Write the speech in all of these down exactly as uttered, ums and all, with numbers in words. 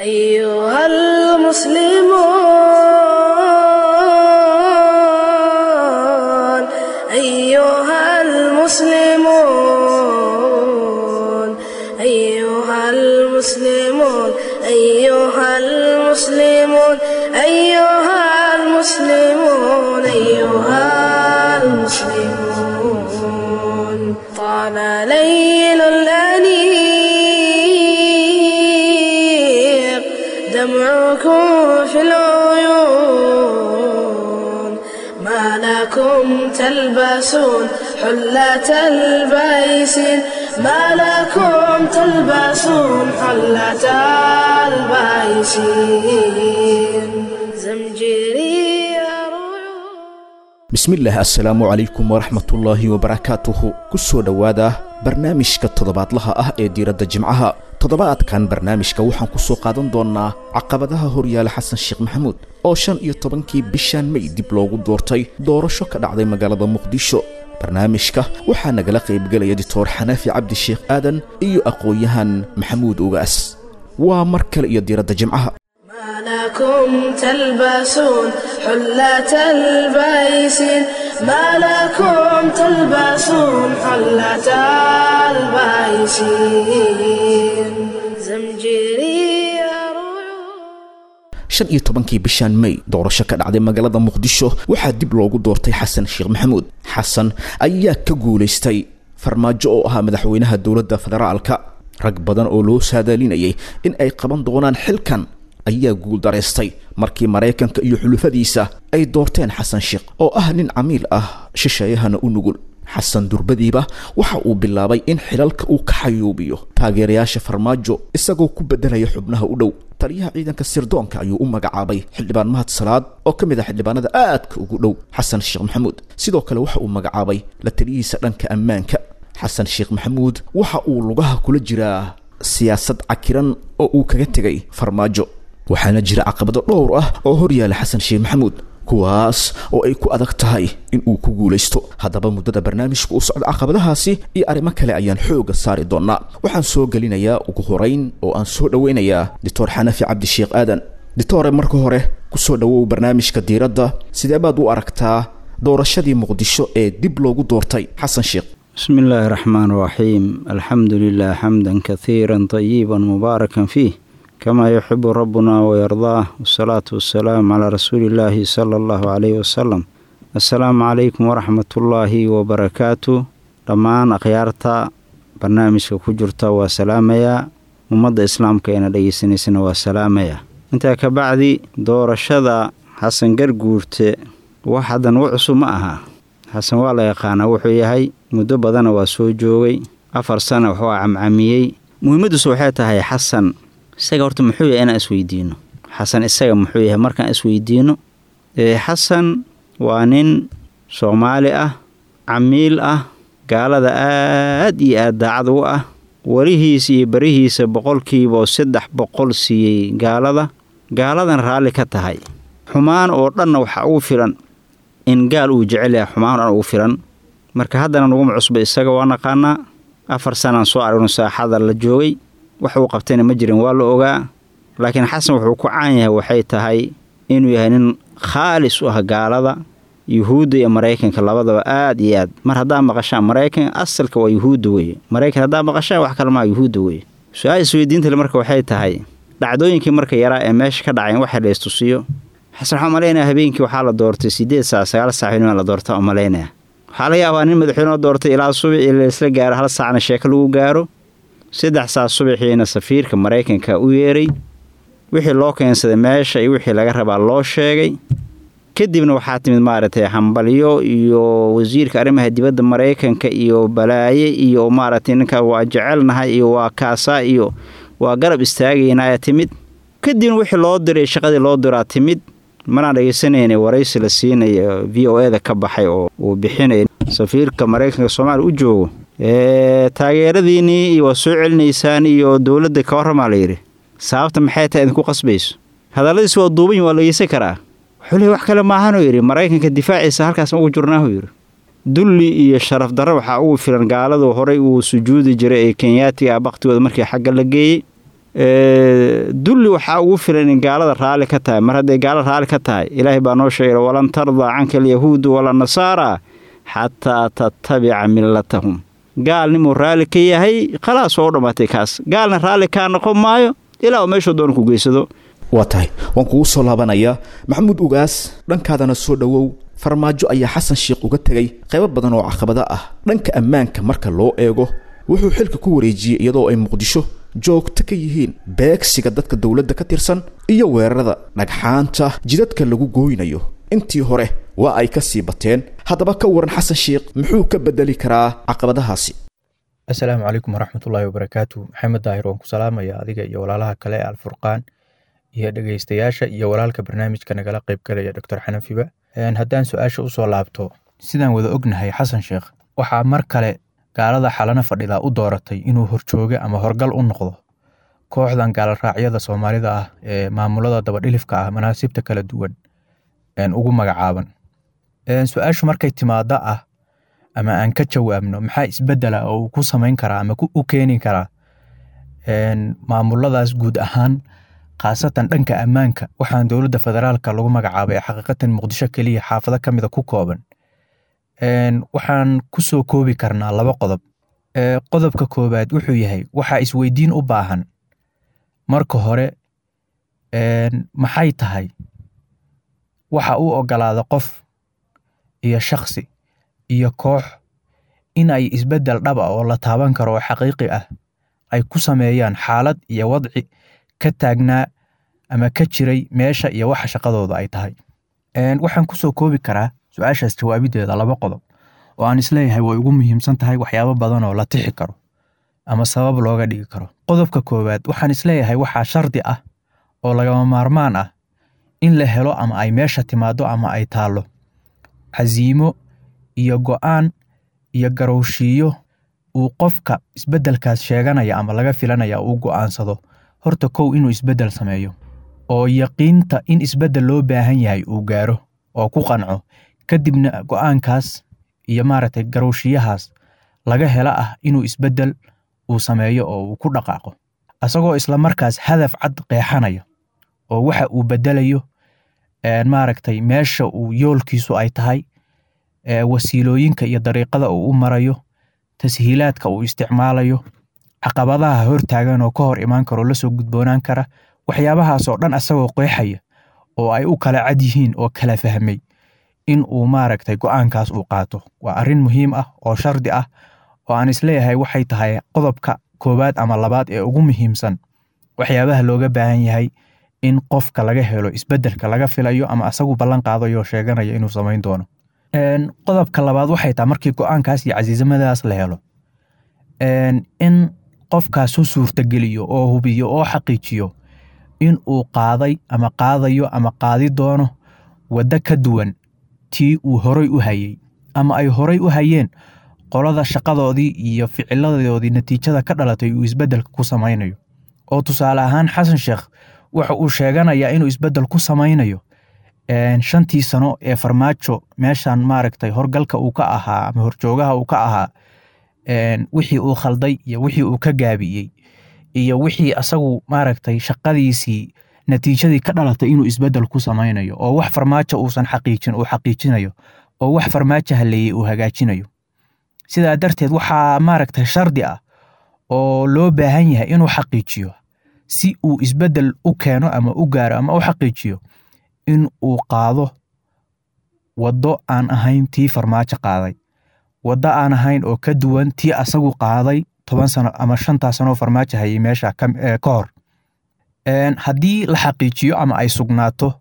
أيها المسلمون، أيها المسلمون، أيها المسلمون، أيها المسلمون، أيها المسلمون، طال ليل الأنيق دمعكم في العيون، ما لكم تلبسون حلة البيس، ما لكم تلبسون حلة البيس. زمجري. Bismillaah, assalaamu calaykum waraxmatullaahi wabarakaatuhu. Ku soo dhowaada barnaamijka toddobaadlaha ah ee diiradda Jimcaha. Toddobaadkan barnaamijka waxaan ku soo qaadan doonnaa caqabadaha horyaala Xasan Sheekh Maxamuud oo shan iyo tobankii bishan May dib loogu doortay doorasho ka dhacday magaalada Muqdisho. Barnaamijka waxaa nagala qaybgelaya Doctor Xanaafi Cabdi Sheekh Aadan iyo aqoon-yahan Maxamuud Ugaas. Waa mar kale iyo diiradda Jimcaha. ما لكم تلبسون حلة البيس، ما لكم تلبسون حلة البيس. زمجري. Shan iyo tobankii bishan May doorasho ka dhacday magaalada Muqdisho waxaa dib loogu doortay Xasan Sheekh Maxamuud. Xasan ayaa ka guulaystay Farmaajo oo ahaa madaxweynaha dowladda federaalka. Rag badan oo loo saadaalinayay in ay qaban doonaan xilkan ayaa guuldaraystay markii Maraykanka iyo xulufadiisa ay doorteen Xasan Sheekh oo ah nin camiil ah, shisheeyahana u nugul. Xasan durbadiiba waxa uu bilaabay in xilalka uu ka xayuubiyo taageerayaasha Farmaajo, isagoo ku bedelaya xubnaha u dhow. Taliyaha ciidanka sirdoonka ayuu u magacaabay xildhibaan Mahad Salaad oo ka mid ah xildhibaanada aadka ugu dhow Xasan Sheekh Maxamuud. Sidoo kale waxa uu magacaabay la taliyihiisa dhanka ammaanka. Xasan Sheekh Maxamuud waxa uu lugaha kula jiraa siyaasad cakiran oo uu kaga tegay Farmaajo, waxaana jira caqabado dhowr ah oo horyaala Xasan Sheekh Maxamuud, kuwaas oo ay ku adag tahay in uu ku guulaysto. Haddaba muddada barnaamijku u socda caqabadahaasi iyo arrimo kale ayaan xooga saari doonaa. Waxaan soo gelinayaa ugu horeyn oo aan soo dhoweynayaa Doctor Xanafi Cabdi Sheekh Aadan. Doctore, marka hore kusoo dhowow barnaamijka diiradda. Sidee baad u aragtaa doorashadii Muqdisho ee dib loogu doortay Xasan Sheekh? بسم الله الرحمن الرحيم، الحمد لله حمدا كثيرا طيبا مباركا فيه كما يحب ربنا ويرضاه، والصلاة والسلام على رسول الله صلى الله عليه وسلم. السلام عليكم ورحمة الله وبركاته. Dhammaan akhyaarta barnaamijka ku jirta waa salaamaya, ummadda islaamka eena dhegeysanaysana waa salaamaya. Intaa ka bacdi, doorashada Xasan Garguurte wax haddan u cusub ma aha. Xasan waa la yaqaanaa wuxuu yahay, muddo badana waa soo joogay, afar sana wuxuu camcamiyey. Muhiimaddiisu waxay tahay, Xasan isaga horta muxuu yahay, inaan isweydiino. Xasan isaga muxuu yahay markaan isweydiino, Xasan waa nin Soomaali ah, camiil ah, gaalada aad iyo aad daacad ugu ah, warihiisa iyo barihiisa boqolkiiba saddex boqol siiyey gaalada, gaaladan raalli ka tahay. Xumaan oo dhanna waxaa ugu filan in gaal uu jecel yahay, xumaan o dhan ugu filan. Marka haddana naguma cusba, isaga waa naqaanaa. Afar sanaan soo aragno saaxada la joogay, wax uu qabtayna ma jirin, waa la ogaa. Laakiin Xasan wuxuu ku caan yahay waxay tahay inuu yahay nin khaalis u ah gaalada, Yuhuudda iyo Maraykanka labadaba aad iyo aad. Mar haddaa maqashaan Maraykan, asalka waa Yuhuudda weye. Maraykan haddaa maqashaan, wax kale maha, Yuhuudda weye. Su-aal isweydiinta le marka waxay tahay, dhacdooyinkii marka yaraa ee meesha ka dhacayn waxa la istusiyo. Xasan waxaa malaynaya habeenkii waxaa la doortay sideed saac, sagaal saac inaa la doorta oo malaynaya. Waxaa laga yaabaa nin madaxweyne doortay ilaa subaxii laisla gaaro, hal saacna sheeko lagu gaaro. Saddex saac subaxiina safiirka Maraykanka u yeeray, wixii loo keensaday meesha iyo wixii laga rabaa loo sheegay. Kadibna waxaa timid maaragtay hambalyo iyo wasiirka arrimaha dibadda Maraykanka iyo balaaye iyo maaragtay ninka waa jecelnahay iyo waa kaasaa iyo waa garab istaagaynaa ayaa timid. Kadibna wixii loo diray, shaqadii loo diraa timid. Manaan dhegeysanayna waraysi la siinayo V O A da ka baxay oo uu bixinaya safiirka Maraykanka Soomaaliya u joogo. Taageeradiinii waa soo celinaysaan iyo dowladda ka warramaa la yidhi, sababta maxay tahay idinku qasbayso? Hadalladiis waa duuban, waa la dhegeysan karaa. Wuxuu leey wax kale maahanuu yidhi, Maraykanka difaaciisa halkaas ugu jirnaahu yidhi. Dulli iyo sharaf darro waxaa ugu filan gaaladu horay uu sujuudi jiray ee Kenyaatiga ah baktigooda markii xagga la geeyey. Dulli waxaa ugu filan in gaalada raalli ka tahay. Mar hadday gaalada raalli ka tahay, Ilaahay baa noo sheegay walan tardaa canka alyahuudu wala nasaara xataa tattabica millatahum. Gaalnimuu raalli ka yahay, khalaas waa u dhammaatay kaas. Gaalna raalli kaa noqon maayo ilaa uu meeshuu doono ku geysado. Waa tahay, waan kugu soo laabanayaa Maxamuud Ugaas, dhankaadana soo dhowow. Farmaajo ayaa Xasan Sheekh uga tegay qaybo badan oo caqabado ah dhanka ammaanka marka loo eego. Wuxuu xilka ku wareejiyey iyadoo ay Muqdisho joogto ka yihiin beegsiga dadka dowladda ka tirsan iyo weerarada dhagxaanta jidadka lagu gooynayo. Intii hore waa ay ka sii bateen. Haddaba ka waran Xasan Sheekh muxuu ka bedeli karaa caqabadahaasi? Assalaamu calaykum waraxmatullaahi wabarakaatu. Maxamed Daahir, waan ku salaamaya adiga iyo walaalaha kale ee Alfurqaan iyo dhegeystayaasha iyo walaalka barnaamijka nagala qaybgalaya Doctor Xanafiba. Haddaan su-aasha usoo laabto, sidaan wada ognahay Xasan Sheekh waxaa mar kale gaalada xalana fadhidaa u dooratay inuu horjooge ama horgal u noqdo kooxdan gaalaraacyada Soomaalida ah ee maamulada dabadhilifka ah manaasibta kala duwan ugu magacaaban. Su-aashu markay timaada ah ama aan ka jawaabno maxaa isbedela oo uu ku samayn karaa ama u keeni karaa maamuladaas guud ahaan, khaasatan dhanka ammaanka, waxaan dowladda federaalka lagu magacaabay xaqiiqatan Muqdisho keliya xaafado ka mida ku kooban, waxaan ku soo koobi karnaa laba qodob. Qodobka koowaad wuxuu yahay, waxaa isweydiin u baahan marka hore maxay tahay waxa uu ogolaada qof iyo shakhsi iyo koox in ay isbeddel dhab ah oo la taaban karo oo xaqiiqi ah ay ku sameeyaan xaalad iyo wadci ka taagnaa ama ka jiray meesha iyo waxa shaqadooda ay tahay. Waxaan kusoo koobi karaa su-aashaas jawaabideeda laba qodob oo aan isleeyahay way ugu muhiimsan tahay waxyaabo badan oo la tixi karo ama sabab looga dhigi karo. Qodobka koowaad, waxaan isleeyahay waxaa shardi ah oo lagama maarmaan ah in la helo ama ay meesha timaado ama ay taallo casiimo iyo go'aan iyo garowshiiyo uu qofka isbeddelkaas sheeganaya ama laga filanaya uu go'aansado horta kow inuu isbeddel sameeyo oo yaqiinta in isbeddel loo baahan yahay uu gaaro oo ku qanco, kadibna go'aankaas iyo maaragtay garowshiyahaas laga hela ah inuu isbeddel uu sameeyo oo uu ku dhaqaaqo asagoo isla markaas hadaf cad qeexanaya oo waxa uu beddelayo, maaragtay meesha uu yoolkiisu ay tahay, wasiilooyinka iyo dariiqada uu u marayo, tashiilaadka uu isticmaalayo, caqabadaha hortaagan oo ka hor imaan karo lasoo gudboonaan kara, waxyaabahaas oo dhan asagoo qeexaya oo ay u kala cad yihiin oo kala fahmay in uu maaragtay go'aankaas uu qaato. Waa arrin muhiim ah oo shardi ah oo aan isleeyahay waxay tahay qodobka koowaad ama labaad ee ugu muhiimsan waxyaabaha looga baahan yahay in qofka laga helo isbeddelka laga filayo ama asagu ballan qaadayo oo sheeganayo inuu samayn doono. Qodobka labaad waxay tahay markii go'aankaas iyo casiisamadaas la helo in qofkaas u suurtageliyo oo hubiyo oo xaqiijiyo in uu qaaday ama qaadayo ama qaadi doono waddo ka duwan tii uu horay u hayay ama ay horay u hayeen qolada shaqadoodii iyo ficiladoodii natiijada ka dhalatay uu isbeddelka ku samaynayo. Oo tusaale ahaan Xasan Sheekh waxa uu sheeganayaa inuu isbeddel ku samaynayo shantii sano ee Farmaajo meeshan maaragtay horgalka uu ka ahaa ama horjoogaha uu ka ahaa, wixii uu khalday iyo wixii uu ka gaabiyey iyo wixii asagu maaragtay shaqadiisii natiijadii ka dhalatay inuu isbeddel ku samaynayo oo wax Farmaajo uusan xaqiijin uu xaqiijinayo oo wax Farmaajo haleeyey uu hagaajinayo. Sidaa darteed waxaa maaragtay shardi ah oo loo baahan yahay inuu xaqiijiyo si uu isbeddel u keeno ama u gaaro ama u xaqiijiyo in uu qaado waddo aan ahayn tii Farmaajo qaaday, waddo aan ahayn oo ka duwan tii asagu qaaday toban sano ama shantaa sano oo Farmaajo hayay meesha ka hor. Haddii la xaqiijiyo ama ay sugnaato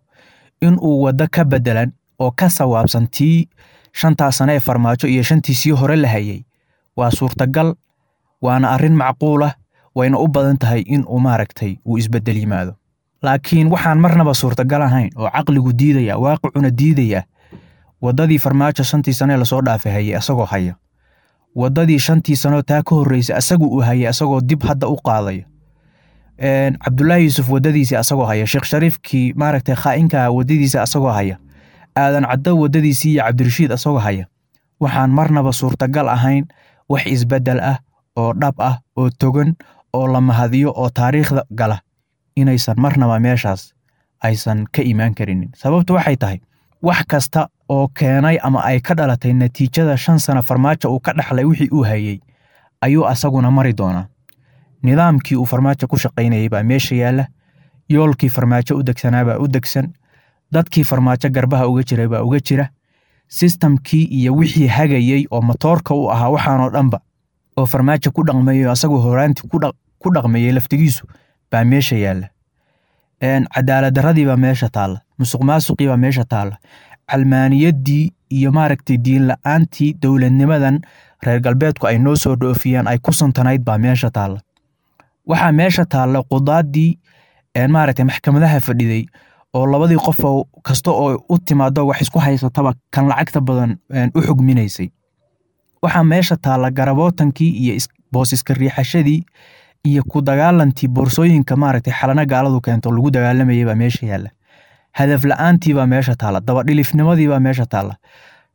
in uu waddo ka beddelan oo ka sawaabsan tii shantaa sano ee Farmaajo iyo shantii sii hore la hayay, waa suurtagal, waana arrin macquul ah, wayna u badan tahay in uu maaragtay uu isbeddel yimaado. Laakiin waxaan marnaba suurtagal ahayn oo caqligu diidaya, waaqicuna diidaya, waddadii Farmaajo shantii sano ee lasoo dhaafay hayay asagoo haya, waddadii shantii sano taa ka horreysay asagu uu hayay asagoo dib hadda u qaadaya, Cabdullaahi Yuusuf waddadiisii asagoo haya, Sheekh Shariifkii maaragtay khaa'inka waddadiisa asagoo haya, Aadan Caddo waddadiisii iyo Cabdirashiid asagoo haya, waxaan marnaba suurtagal ahayn wax isbeddel ah oo dhab ah oo togan oo la mahadiyo oo taariikhda gala inaysan marnaba meeshaas aysan ka imaan karinin. Sababtu waxay tahay wax kasta oo keenay ama ay ka dhalatay natiijada shan sano Farmaajo uu ka dhaxlay wixii uu hayay ayuu asaguna mari doonaa. Nidaamkii uu Farmaajo ku shaqaynayay baa meesha yaalla, yoolkii Farmaajo u degsanaa baa u degsan, dadkii Farmaajo garbaha uga jiray baa uga jira, sistamkii iyo wixii hagayay oo matoorka u ahaa waxaanoo dhanba oo Farmaajo ku dhaqmayay oo asagoo horaantii ku dhaqmayay laftigiisu baa meesha yaalla. Cadaalad darradii baa meesha taalla, musuqmaasuqii baa meesha taalla, calmaaniyaddii iyo maaragtay diin la'aantii dowladnimadan reer galbeedku ay noo soo dhoofiyeen ay ku santanayd baa meesha taalla. Waxaa meesha taalla qudaadii maaragtay maxkamadaha fadhiday oo labadii qof oo kasta oo u timaado wax isku haysataba kan lacagta badan u xugminaysay. Waxaa meesha taalla garabootankii iyo boos iska riixashadii iyo ku dagaalantii boorsooyinka maaragtay xalana gaaladu keento lagu dagaalamayay baa meesha yaalla. Hadaf la'aantii baa meesha taalla, dabadhilifnimadii baa meesha taalla,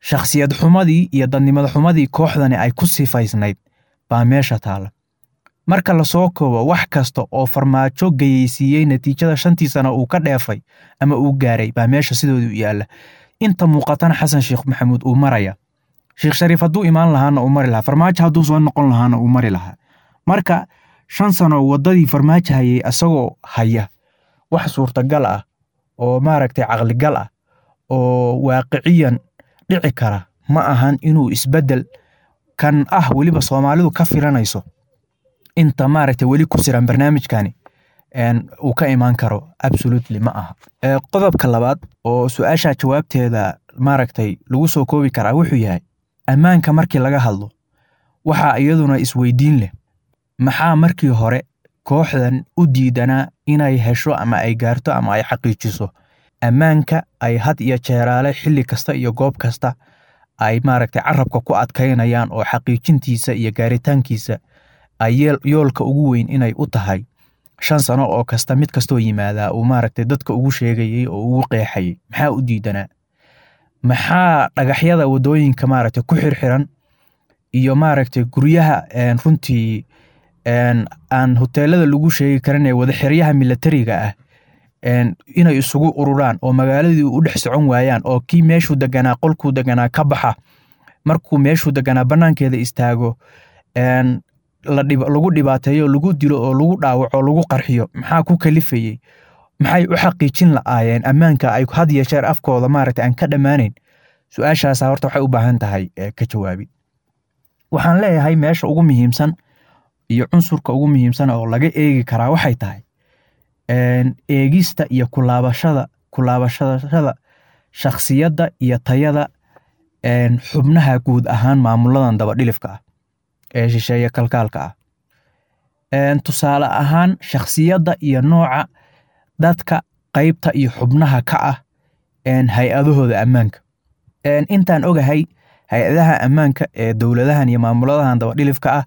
shakhsiyad xumadii iyo dadnimada xumadii kooxdani ay ku sifaysnayd baa meesha taalla. Marka la soo koobo wax kasta oo Farmaajo gayeysiiyey natiijada shantii sano uu ka dheefay ama uu gaaray baa meesha sidoodu u yaalla. Inta muuqatana Xasan Sheekh Maxamuud uu maraya. Sheekh Shariif hadduu imaan lahaana uu mari lahaa, Farmaajo hadduu soo noqon lahaana uu mari lahaa. Marka shan sano waddadii Farmaajo hayay asagoo haya wax suurtagal ah oo maaragtay caqligal ah oo waaqiciyan dhici kara ma ahan inuu isbeddel kan ah weliba Soomaalidu ka filanayso inta maaragtay weli ku siran barnaamijkani uu ka imaan karo absolutely ma aha. Qodobka labaad oo su-aasha jawaabteeda maaragtay lagu soo koobi karaa wuxuu yahay ammaanka markii laga hadlo waxaa iyaduna isweydiin leh maxaa markii hore kooxdan u diidanaa inay hesho ama ay gaarto ama ay xaqiijiso ammaanka ay had iyo jeeraale xilli kasta iyo goob kasta ay maaragtay carabka ku adkaynayaan oo xaqiijintiisa iyo gaaritaankiisa ay yoolka ugu weyn inay u tahay shan sano oo kasta mid kastoo yimaadaa uu maaragtay dadka ugu sheegayay oo ugu qeexayay. Maxaa u diidanaa? Maxaa dhagaxyada waddooyinka maaragtay ku xirxiran iyo maaragtay guryaha runtii aan hoteelada lagu sheegi karin ee wada xeryaha militariga ah inay isugu ururaan oo magaaladii u dhex socon waayaan oo kii meeshuu deganaa qolkuu deganaa ka baxa markuu meeshuu deganaa bannaankeeda istaago lagu dhibaateeyo, lagu dilo oo lagu dhaawaco, lagu qarxiyo? Maxaa ku kalifayey? Maxay u xaqiijin la'aayeen ammaanka ay had iyo jeer afkooda maaragtay aan ka dhammaanayn? Su-aashaasa horta waxay u baahan tahay ka jawaabid. Waxaan leeyahay meesha ugu muhiimsan iyo cunsurka ugu muhiimsan oo laga eegi karaa waxay tahay eegista iyo kulaabashada kulaabashada shakhsiyadda iyo tayada xubnaha guud ahaan maamuladan dabadhilifka ah ee shisheeye kalkaalka ah. Tusaale ahaan shakhsiyadda iyo nooca dadka qaybta iyo xubnaha ka ah hay-adahooda ammaanka. Intaan ogahay hay-adaha ammaanka ee dowladahan iyo maamuladahan dabadhilifka ah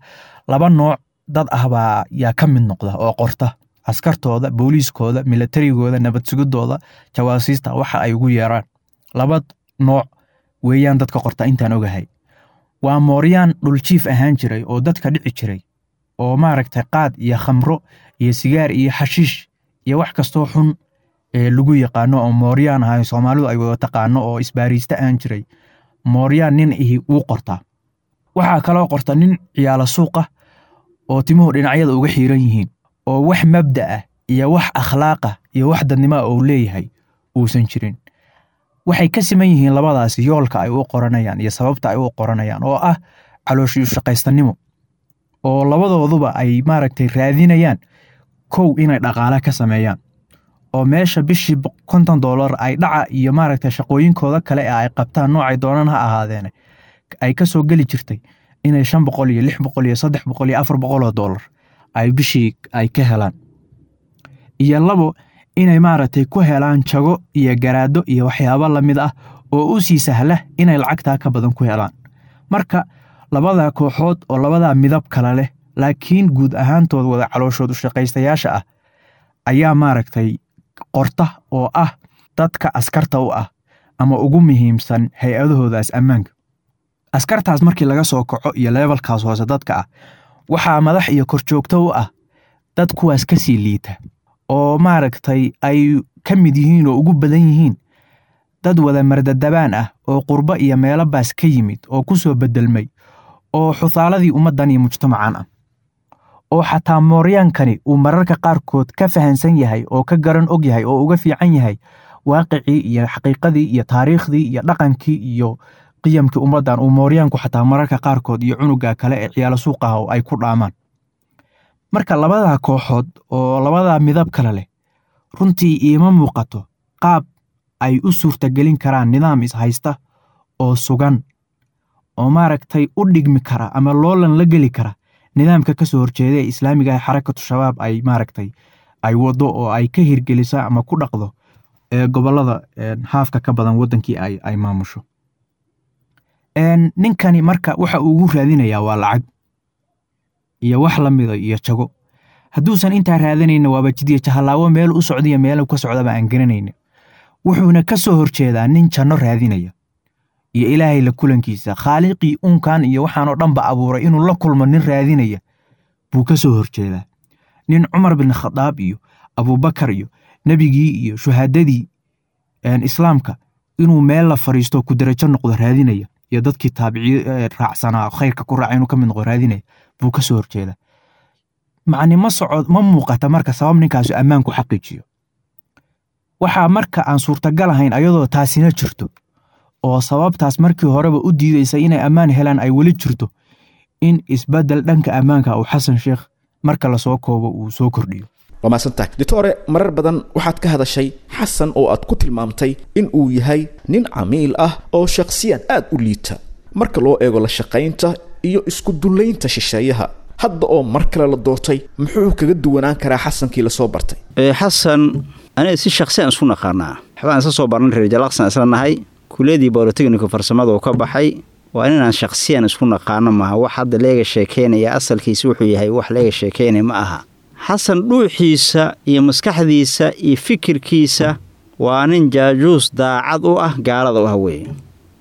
laba nooc dad ah baa yaa ka mid noqda oo qorta askartooda, booliiskooda, milatarigooda, nabad sugidooda, jawaasiista waxa ay ugu yeeraan. Laba nooc weeyaan dadka qorta intaan ogahay. Waa mooryaan dhuljiif ahaan jiray oo dadka dhici jiray oo maaragtay qaad iyo khamro iyo sigaar iyo xashiish iyo wax kastoo xun ee lagu yaqaano oo mooryaan ahay Soomaalidu ay wada taqaano oo isbaariista ahaan jiray. Mooryaan nin ihi wuu qortaa. Waxaa kaloo qorta nin ciyaala suuqa oo timuhu dhinacyada uga xiiran yihiin oo wax mabda ah iyo wax akhlaaq ah iyo wax dadnimo ah oo leeyahay uusan jirin. Waxay ka siman yihiin labadaasi yoolka ay u qoranayaan iyo sababta ay u qoranayaan oo ah calooshii shaqaystanimo oo labadooduba ay maaragtay raadinayaan kow inay dhaqaale ka sameeyaan oo meesha bishii konton doolar ay dhaca iyo maaragtay shaqooyinkooda kale ee ay qabtaan noocay doonaan ha ahaadeen ay ka soo geli jirtay inay shan boqol iyo lix boqol iyo saddex boqol iyo afar boqol oo doolar ay bishii ay ka helaan. Iyo labo inay maaragtay ku helaan jago iyo garaado iyo waxyaabo la mid ah oo u sii sahla inay lacagtaa ka badan ku helaan. Marka labada kooxood oo labada midab kala leh laakiin guud ahaantood wada calooshood u shaqaystayaasha ah ayaa maaragtay qorta oo ah dadka askarta u ah ama ugu muhiimsan hay-adahoodaas ammaanka. Askartaas markii laga soo kaco iyo levelkaas hoose dadka ah waxaa madax iyo korjoogto u ah Dad kuwaas ka sii liita oo maaragtay ay ka mid yihiin oo ugu badan yihiin dad wada mardadabaan ah oo qurbo iyo meelo baas ka yimid oo ku soo bedelmay oo xusaaladii ummaddan iyo mujtamacan ah, oo xataa mooryaankani uu mararka qaarkood ka fahansan yahay oo ka garan og yahay oo uga fiican yahay waaqicii iyo xaqiiqadii iyo taariikhdii iyo dhaqankii iyo qiyamkii ummaddan, uu mooryaanku xataa mararka qaarkood iyo cunuga kale ee ciyaalo suuqaha oo ay ku dhaamaan. Marka labadaa kooxood oo labadaa midab kale leh runtii iima muuqato qaab ay u suurtagelin karaan nidaam ishaysta oo sugan oo maaragtay u dhigmi kara ama loolan la geli kara nidaamka ka soo horjeeda ee islaamiga ah Xarakatu Shabaab ay maaragtay ay wado oo ay ka hirgelisa ama ku dhaqdo ee gobollada haafka ka badan waddankii ay ay maamusho. Ninkani marka waxa uu ugu raadinayaa waa lacag iyo wax la mida iyo jago. Hadduusan intaa raadanayna waaba jidiya jahalaawo, meel u socdiya meel ka socdaba aan garanayna. Wuxuuna ka soo horjeedaa nin janno raadinaya iyo Ilaahay la kulankiisa, khaaliqii uunkan iyo waxaanoo dhanba abuuray inuu la kulmo nin raadinaya buu ka soo horjeedaa. Nin Cumar bin Khadaab iyo Abuubakar iyo nebigii iyo shuhaadadii islaamka inuu meel la fadhiisto ku darajo noqdo raadinaya iyo dadkii taabiciye raacsanaa khayrka ku raacay inuu ka mid noqdo raadinaya buu ka soo horjeedaa. Macni ma socod ma muuqata marka sabab ninkaasi ammaan ku xaqiijiyo. Waxaa marka aan suurtagal ahayn ayadoo taasina jirto oo sababtaas markii horeba u diidaysa inay ammaan helaan ay weli jirto, in isbeddel dhanka ammaanka uu Xasan Sheekh marka lasoo koobo uu soo kordhiyo. Waa mahadsantahay, doctore. Marar badan waxaad ka hadashay Xasan oo aad ku tilmaamtay in uu yahay nin camiil ah oo shakhsiyan aad u liita marka loo eego la shaqaynta iyo isku dullaynta shisheeyaha. Hadda oo mar kale la doortay, muxuu kaga duwanaan karaa Xasankii lasoo bartay? Xasan aniga si shakhsiyan isku naqaanaa, waxbaan isla soo barnay, reer Jalaqsan isla nahay, kuuliyadii bolotechnico farsamada uu ka baxay. Waa inaan shakhsiyan isku naqaano, maaha wax hadda leega sheekeynaya. Asalkiisa wuxuu yahay wax leega sheekeynaya ma aha. Xasan dhuuxiisa iyo maskaxdiisa iyo fikirkiisa waa nin jaajuus daacad u ah gaalada u ah weeye.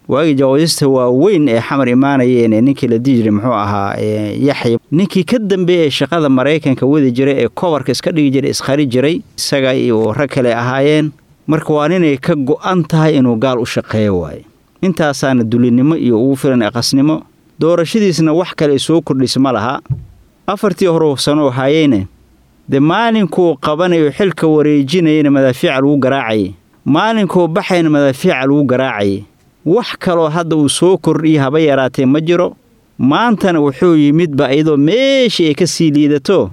Waagii jawaasista waaweyn ee Xamar imaanayeen ee ninkii la dihi jiray muxuu ahaa, Yaxya, ninkii ka dambeeyey ee shaqada Maraykanka wadi jiray ee kobarka iska dhigi jiray, iskhari jiray, isaga iyo rag kale ahaayeen. Marka waa ninay ka go'an tahay inuu gaal u shaqeeyo waaye. Intaasaana dulinimo iyo ugu filan aqasnimo. Doorashadiisna wax kale soo kordhisa ma laha. Afartii hore sanoo haayeyne dee maalinkuu qabanayo xilka wareejinayana madaafiica lagu garaacayay, maalinkuu baxayna madaafiica lagu garaacayay. Wax kaloo hadda uu soo kordhiya haba yaraatee ma jiro. Maantana wuxuu yimidba iyadoo meeshii ay ka sii liidato,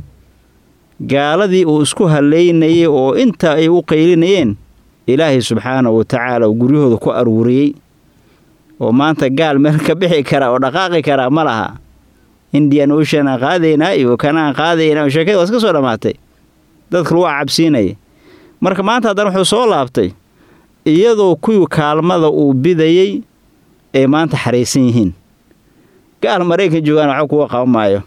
gaaladii uu isku halaynayay oo inta ay u qaylinayeen Ilaahay subxaanahu wa tacaala uu guryahooda ku aruuriyey, oo maanta gaal meel ka bixi kara oo dhaqaaqi karaa ma laha. Indian Ocean aan qaadaynaa iyo kanaan qaadaynaa, sheekada waa iska soo dhammaatay, dadka lagu cabsiinaya. Marka maanta haddana wuxuu soo laabtay iyadoo kuwii kaalmada uu bidayey ay maanta xaraysan yihiin. Gaal Maraykan joogaan waxba kuwa qaban maayo.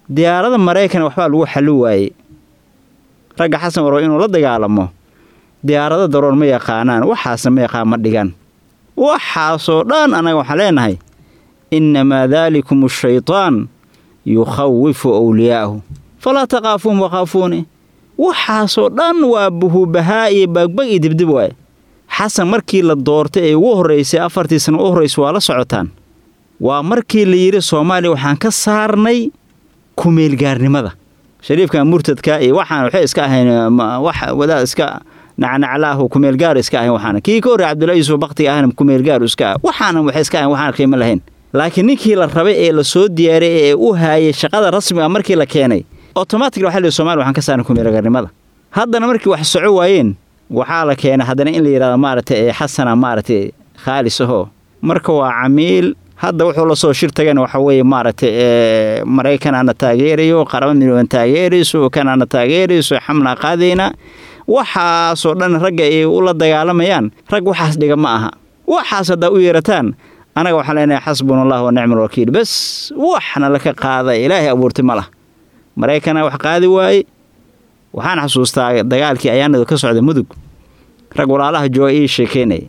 Diyaarada Maraykan waxbaa lagu xalli waayey. Ragga Xasan warbo inuu la dagaalamo diyaarada daroon ma yaqaanaan, waxaasna ma yaqaan, ma dhigan waxaasoo dhan. Annaga waxaan leenahay innamaa daalikum ashaytaan yukhawifu awliyaa'ahu falaa taqaafuuhum wakhaafuuni. Waxaasoo dhan waa buhubahaa iyo baagbag iyo dibdib waaye. Xasan markii la doortay ee ugu horraysay afartii sano u horraysa waa la socotaan, waa markii la yidhi Soomaaliya waxaan ka saarnay kumeelgaarnimada. Shariifkan murtadka iyo waxaan waxay iska ahayn wax wadaad iska nacnaclaahu, kumeelgaar iska ahayn. Waxaana kii ka horreey Cabdullahi Yuusuf baktiga ahna kumeelgaar iska ah. Waxaana waxay iska ahayn waxaan qiimo lahayn. Laakiin ninkii la rabay ee la soo diyaariyay ee u haayay shaqada rasmiga markii la keenay, automatically waxaa la yidhi Soomaaliya waxaan ka saarnay kumeelgaarnimada. Haddana markii wax soco waayeen waxaa la keenay haddana in la yidhahdo maaragtay ee Xasana maaragtay khaalis ahoo. Marka waa camiil. Hadda wuxuu la soo shir tagana waxa weeye maaragtay ee Maraykan aana taageerayo, Qaramo Midooban taageerayso, kan aana taageerayso, xamlaa qaadayna. Waxaasoo dhan ragga ay ula dagaalamayaan rag waxaas dhiga ma aha. Waxaas haddaa u yeerataan, anaga waxaan leenahay xasbuna Allah wa nicmal wakiil. Bas waxna laka qaada Ilaahay abuurtay ma lah. Maraykana wax qaadi waaye. Waxaan xasuustaa dagaalkii ayaanadu ka socday Mudug, rag walaalaha jooga ii sheekeynaya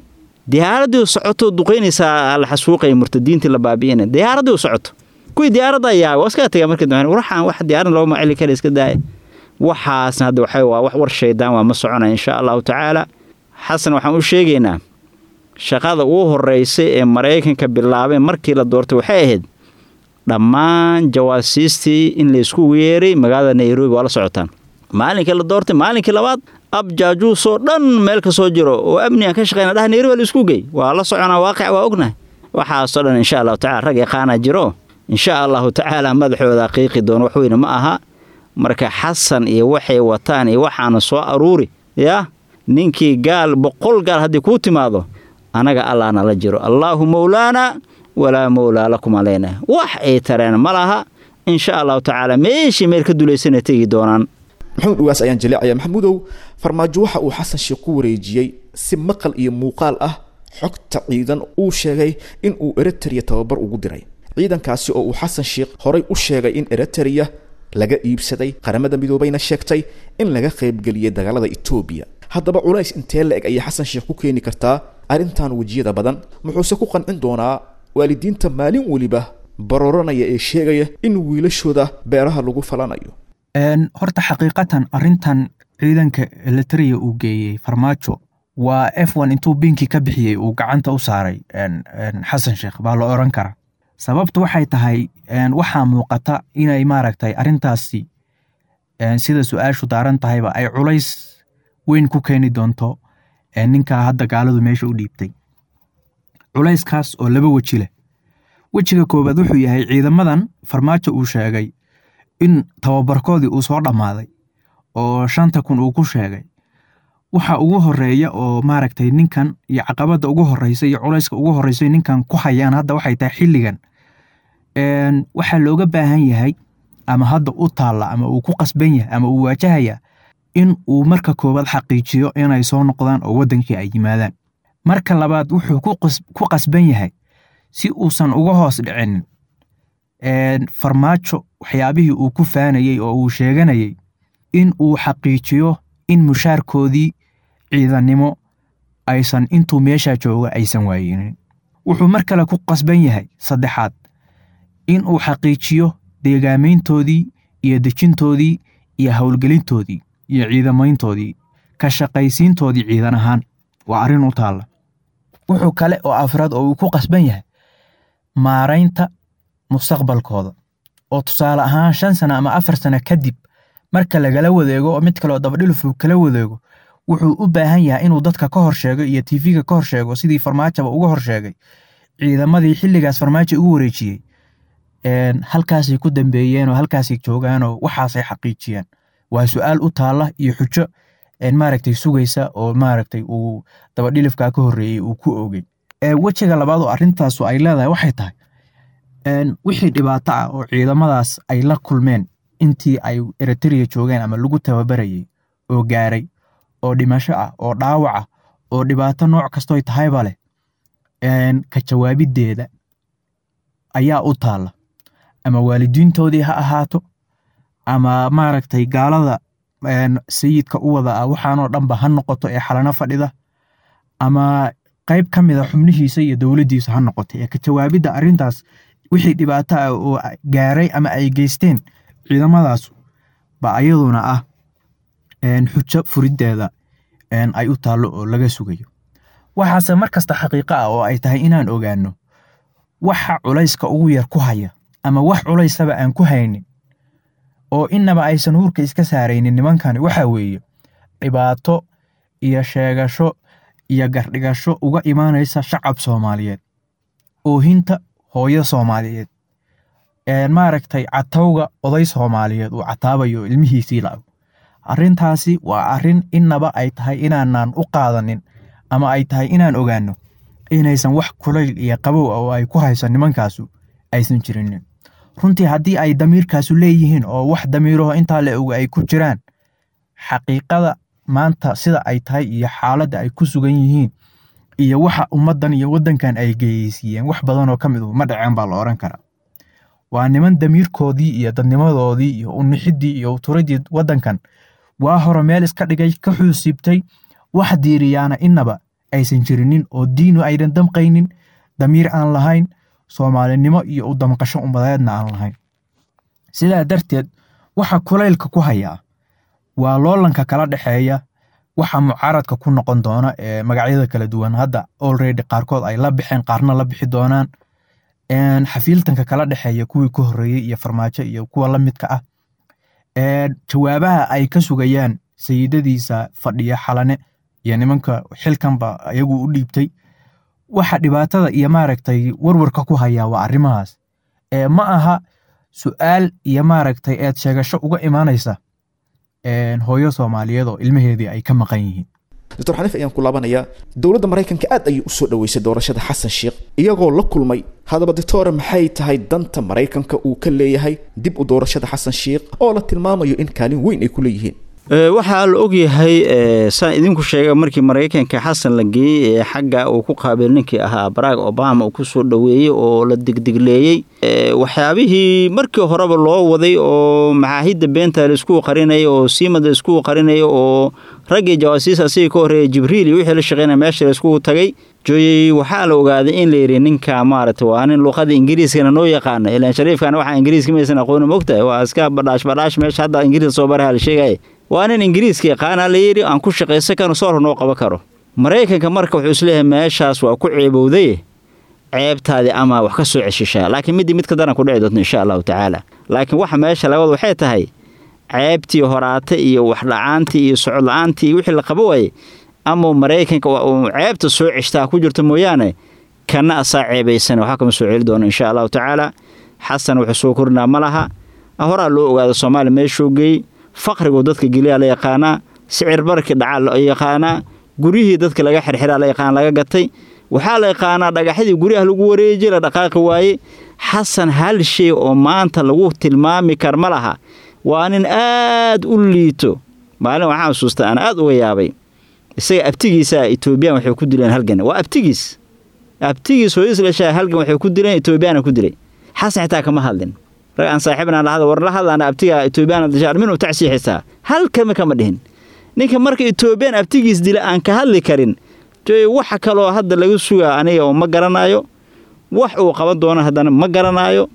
diyaaraddii socoto duqaynaysaa la xasuuqaya murtadiintii la baabi'inaya diyaaraddii socoto. Kuwii diyaaradda ayaa waa iskaga tagaa markii dambe, waxaan wax diyaaradda looma celi kara, iska daaya. Waxaasna hadda waxay waa wax war shaydaan waa ma soconaya insha Allahu tacaala. Xasan waxaan u sheegaynaa shaqada ugu horeysay ee Mareykanka bilaabay markii la doortay waxay ahayd dhammaan jawaasiistii in la isku yeeray magaalada Nairobi. Waa la socotaan maalinkii la doortay, maalinkii labaad abjaajuusoo dhan meel ka soo jiro oo amni aan ka shaqeyna dhaha Nairobi la isku geey. Waa la soconaa, waaqic waa ognahay waxaasoo dhan insha Allahu tacaala. Rag yaqaana jiro insha Allahu tacaala, madaxooda qiiqi doon wax weyne ma aha. Marka Xasan iyo waxay wataan iyo waxaana soo aruuri yaa ninkii gaal boqol gaal haddii kuu timaado, anaga Allah nala jiro, Allaahu mawlaana walaa mawlaa lakum aleyna. Wax ay tareen ma laha insha Allahu tacaala, meeshii meel ka dulaysana tegi doonaan. Maxamuud Ugaas ayaan jaleecaya. Maxamuudow, Farmaajo waxa uu Xasan Sheekh ku wareejiyey si maqal iyo muuqaal ah xogta ciidan uu sheegay in uu Eritrea tababar ugu diray, ciidankaasi oo uu Xasan Sheekh horay u sheegay in Eritrea laga iibsaday, Qaramada Midoobayna sheegtay in laga qaybgeliyey dagaalada Etoobiya. Haddaba culays intee la eg ayay Xasan Sheekh ku keeni kartaa arrintan wejiyada badan? Muxuuse ku qancin doonaa waalidiinta maalin weliba barooranaya ee sheegaya in wiilashooda beeraha lagu falanayo? Horta xaqiiqatan arrintan ciidanka Eritrea uu geeyey Farmaajo waa F one intuu binkii ka bixiyey uu gacanta u saaray Xasan Sheekh baa la oran karaa. Sababtu waxay tahay waxaa muuqata inay maaragtay arrintaasi sida su-aashu daaran tahayba ay culays weyn ku keeni doonto ninkaa hadda gaaladu meesha u dhiibtay. Culayskaas oo laba weji leh. Wejiga koowaad wuxuu yahay ciidamadan Farmaajo uu sheegay in tababarkoodii uu soo dhammaaday oo shanta kun uu ku sheegay. Waxa ugu horeeya oo maaragtay ninkan iyo caqabadda ugu horeysa iyo culayska ugu horeysa ninkan ku hayaan hadda waxay tahay xilligan waxaa looga baahan yahay ama hadda u taalla ama uu ku qasban yahay ama uu waajahaya in uu marka koowaad xaqiijiyo inay soo noqdaan oo waddankii ay yimaadaan. Marka labaad wuxuu ku qasban yahay si uusan uga hoos dhicinin Farmaajo waxyaabihii uu ku faanayey oo uu sheeganayey in uu xaqiijiyo in mushaarkoodii ciidannimo aysan intuu meeshaa jooga aysan waayinin. Wuxuu mar kale ku qasban yahay saddexaad in uu xaqiijiyo deegaameyntoodii iyo dejintoodii iyo howlgelintoodii iyo ciidamayntoodii ka shaqaysiintoodii ciidan ahaan waa arrin u taalla. Wuxuu kale oo afraad oo uu ku qasban yahay maaraynta mustaqbalkooda oo tusaale ahaan shan sano ama afar sano kadib marka lagala wadeego oo mid kale oo dabadhilif uu kala wadeego, wuxuu u baahan yahay inuu dadka ka hor sheego iyo T V-ga ka hor sheego sidii Farmaajaba uga hor sheegay ciidamadii xilligaas Farmaajo ugu wareejiyey halkaasay ku dambeeyeen oo halkaasay joogaanoo waxaasay xaqiijiyeen. Waa su-aal u taalla iyo xujo maaragtay sugaysa oo maaragtay uu dabadhilifkaa ka horreeyey uu ku oogay. Wejiga labaad oo arrintaasu ay leedahay waxay tahay wixii dhibaato ah oo ciidamadaas ay la kulmeen intii ay Eritrea joogeen ama lagu tababarayey oo gaaray oo dhimasho ah oo dhaawac ah oo dhibaato nooc kastoy tahayba leh, ka jawaabiddeeda ayaa u taalla, ama waalidiintoodii ha ahaato ama maaragtay gaalada sayidka u wada ah waxaanoo dhanba ha noqoto ee xalano fadhida ama qayb ka mid a xubnihiisa iyo dowladdiisa ha noqoto. Ee ka jawaabidda arrintaas wixii dhibaato ah oo gaaray ama ay geysteen ciidamadaas ba ayaduna ah xujo furiddeeda ay u taallo oo laga sugayo. Waxaase mar kasta xaqiiqo ah oo ay tahay inaan ogaano waxa culayska ugu yar ku haya ama wax culaysaba aan ku haynin oo inaba aysan huurka iska saaraynin nimankani waxa weeye dhibaato iyo sheegasho iyo gardhigasho uga imaanaysa shacab Soomaaliyeed, oohinta hooyo Soomaaliyeed, maaragtay catowga oday Soomaaliyeed uu cataabayo ilmihiisii la-aw. Arrintaasi waa arrin inaba ay tahay inaanaan u qaadanin ama ay tahay inaan ogaano inaysan wax kulayl iyo qabow ah oo ay ku hayso nimankaasu aysan jirinin. Runtii haddii ay damiirkaasu leeyihiin oo wax damiiraho intaa la oga ay ku jiraan, xaqiiqada maanta sida ay tahay iyo xaaladda ay ku sugan yihiin iyo waxa ummaddan iyo waddankan ay geyeysiiyeen wax badanoo ka mid ma dhaceen baa la oran karaa. Waa niman damiirkoodii iyo dadnimadoodii iyo unixidii iyo uturidii waddankan waa hore meel iska dhigay, ka xuusiibtay, wax diiriyaana inaba aysan jirinin oo diinu aydan damqaynin, damiir aan lahayn, soomaalinimo iyo u damqasho ummadeedna aan lahayn. Sidaa darteed waxa kulaylka ku hayaa Waa loolanka kala dhexeeya waxa mucaaradka ku noqon doona ee magacyada kala duwan hadda already qaarkood ay la bixeen, qaarna la bixi doonaan. Een, xafiiltanka kala dhexeeya kuwii ka horreeyey iyo Farmaajo iyo kuwa la midka ah. Een, jawaabaha ay ka sugayaan sayidadiisa fadhiya Xalane iyo nimanka xilkanba iyagu u dhiibtay, waxa dhibaatada iyo maaragtay warwarka ku hayaa waa arrimahaas. Ee, ma aha su'aal iyo maaragtay eed sheegasho uga imaanaysa een, hooyo Soomaaliyeed oo ilmaheedii ay ka maqan yihiin. Doctor Xaniif ayaan ku laabanayaa. Dowladda Maraykanka aad ayay usoo dhaweysay doorashada Xasan Sheekh iyagoo la kulmay. Haddaba doctore, maxay tahay danta Maraykanka uu ka leeyahay dib u doorashada Xasan Sheekh oo la tilmaamayo in kaalin weyn ay ku leeyihiin? Waxaa la ogyahay, saan idinku sheega, markii Maraykanka Xasan la geeyey ee xagga uu ku qaabil ninkii ahaa Barack Obama uu ku soo dhoweeyey oo la degdegleeyey waxyaabihii markii horeba loo waday oo maxaahidda beenta la isku qarinayay oo siimada la isku qarinayay oo raggii jawaasiis asigii ka horreeyay Jibriil iyo wixii la shaqeynaya meesha la isku tagay jooyey. Waxaa la ogaaday in la yidhi ninka maaragtay waa nin luqada Ingiriiskana noo yaqaana, ilaan shariifkana waxaa Ingiriiska maysan aqooni, mogtahay, waa iska badhaash badhaash meesha hadda Ingiriiska soo baraha la sheegaya. Waa nin Ingiriiska yaqaana la yidhi, aan ku shaqaysan karo, soor noo qaban karo. Maraykanka marka wuxuu isleeyahay meeshaas waa ku ceebowday, ceebtaadii ama wax ka soo ceshishaa, laakiin midii mid ka daran ku dhici doonto insha Allahu tacaala. Laakiin waxa meesha laga wada waxay tahay ceebtii horaate iyo wax la-aantii iyo socod la-aantii iyo wixii la qabo waayey ama Maraykanka uu ceebta soo ceshtaa ku jirto mooyaane, kana asaa ceebaysan waxaa kama soo celi doono insha Allahu tacaala. Xasan wuxuu soo korinaa ma laha, horaa loo ogaado Soomaaliya meeshuu geeyey, faqrigu dadka geliyaa la yaqaanaa, sicir barkii dhacaa la yaqaanaa, guryihii dadka laga xirxiraa la yaqaan laga gatay, waxaa la yaqaanaa dhagaxyadii guryaha lagu wareejiyey la dhaqaaqi waayey. Xasan hal shay oo maanta lagu tilmaami kar ma laha, waa nin aad u liito. Maalin waxaan xusuustaa aan aad uga yaabay, isaga abtigiisa Etoobiyaan waxay ku dileen halgan, waa abtigiis, abtigiis hooyadiis dhashaa halgan waxay ku dileen Etoobiyaana ku dilay. Xasan xitaa kama hadlin. Rag aan saaxiibna la hadla, war la hadlaana abtiga Etoobiyaan dhashaa minuu tacsiixisaa, hal kama kama dhihin. Ninka marka Etoobiyaan abtigiis dila aan ka hadli karin, joy waxa kaloo hadda laga sugaa aniga oo ma garanayo wax uu qaban doono, haddana ma garanayo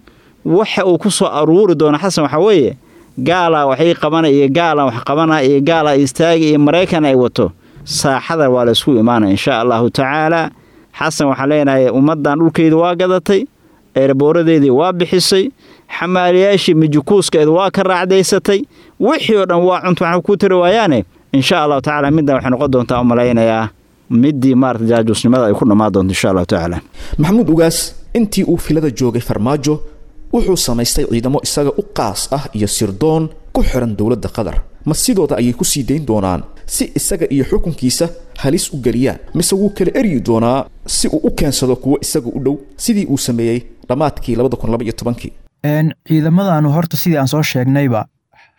waxa uu ku soo aruuri doono. Xasan waxa weeye gaalaa waxay qabana iyo gaalaa wax qabana iyo gaalaa istaagi iyo Maraykan ay wato, saaxada waa la isku imaanaya insha Allahu tacaala. Xasan waxaan leenahay ummaddan dhulkeeda waa gadatay, eerbooradeedii waa bixisay, xamaaliyaashii mijikuuskeeda waa ka raacdaysatay, wixii oo dhan waa cunto waxna ku tari waayaane. Insha Allahu tacaala middan waxay noqon doontaa u malaynayaa midii maarata jaajuusnimada ay ku dhammaan doonto insha Allahu tacaala. Maxamuud Ugaas, intii uu filada joogay Farmaajo wuxuu samaystay ciidamo isaga u qaas ah iyo sirdoon ku xiran dowladda Qatar. Ma sidooda ayay ku sii dayn doonaan si isaga iyo xukunkiisa halis u geliyaan, mise wuu kala eryi doonaa si uu u keensado kuwo isaga u dhow sidii uu sameeyey dhammaadkii labada kun laba iyo tobankii? Ciidamadanu horta sidii aan soo sheegnayba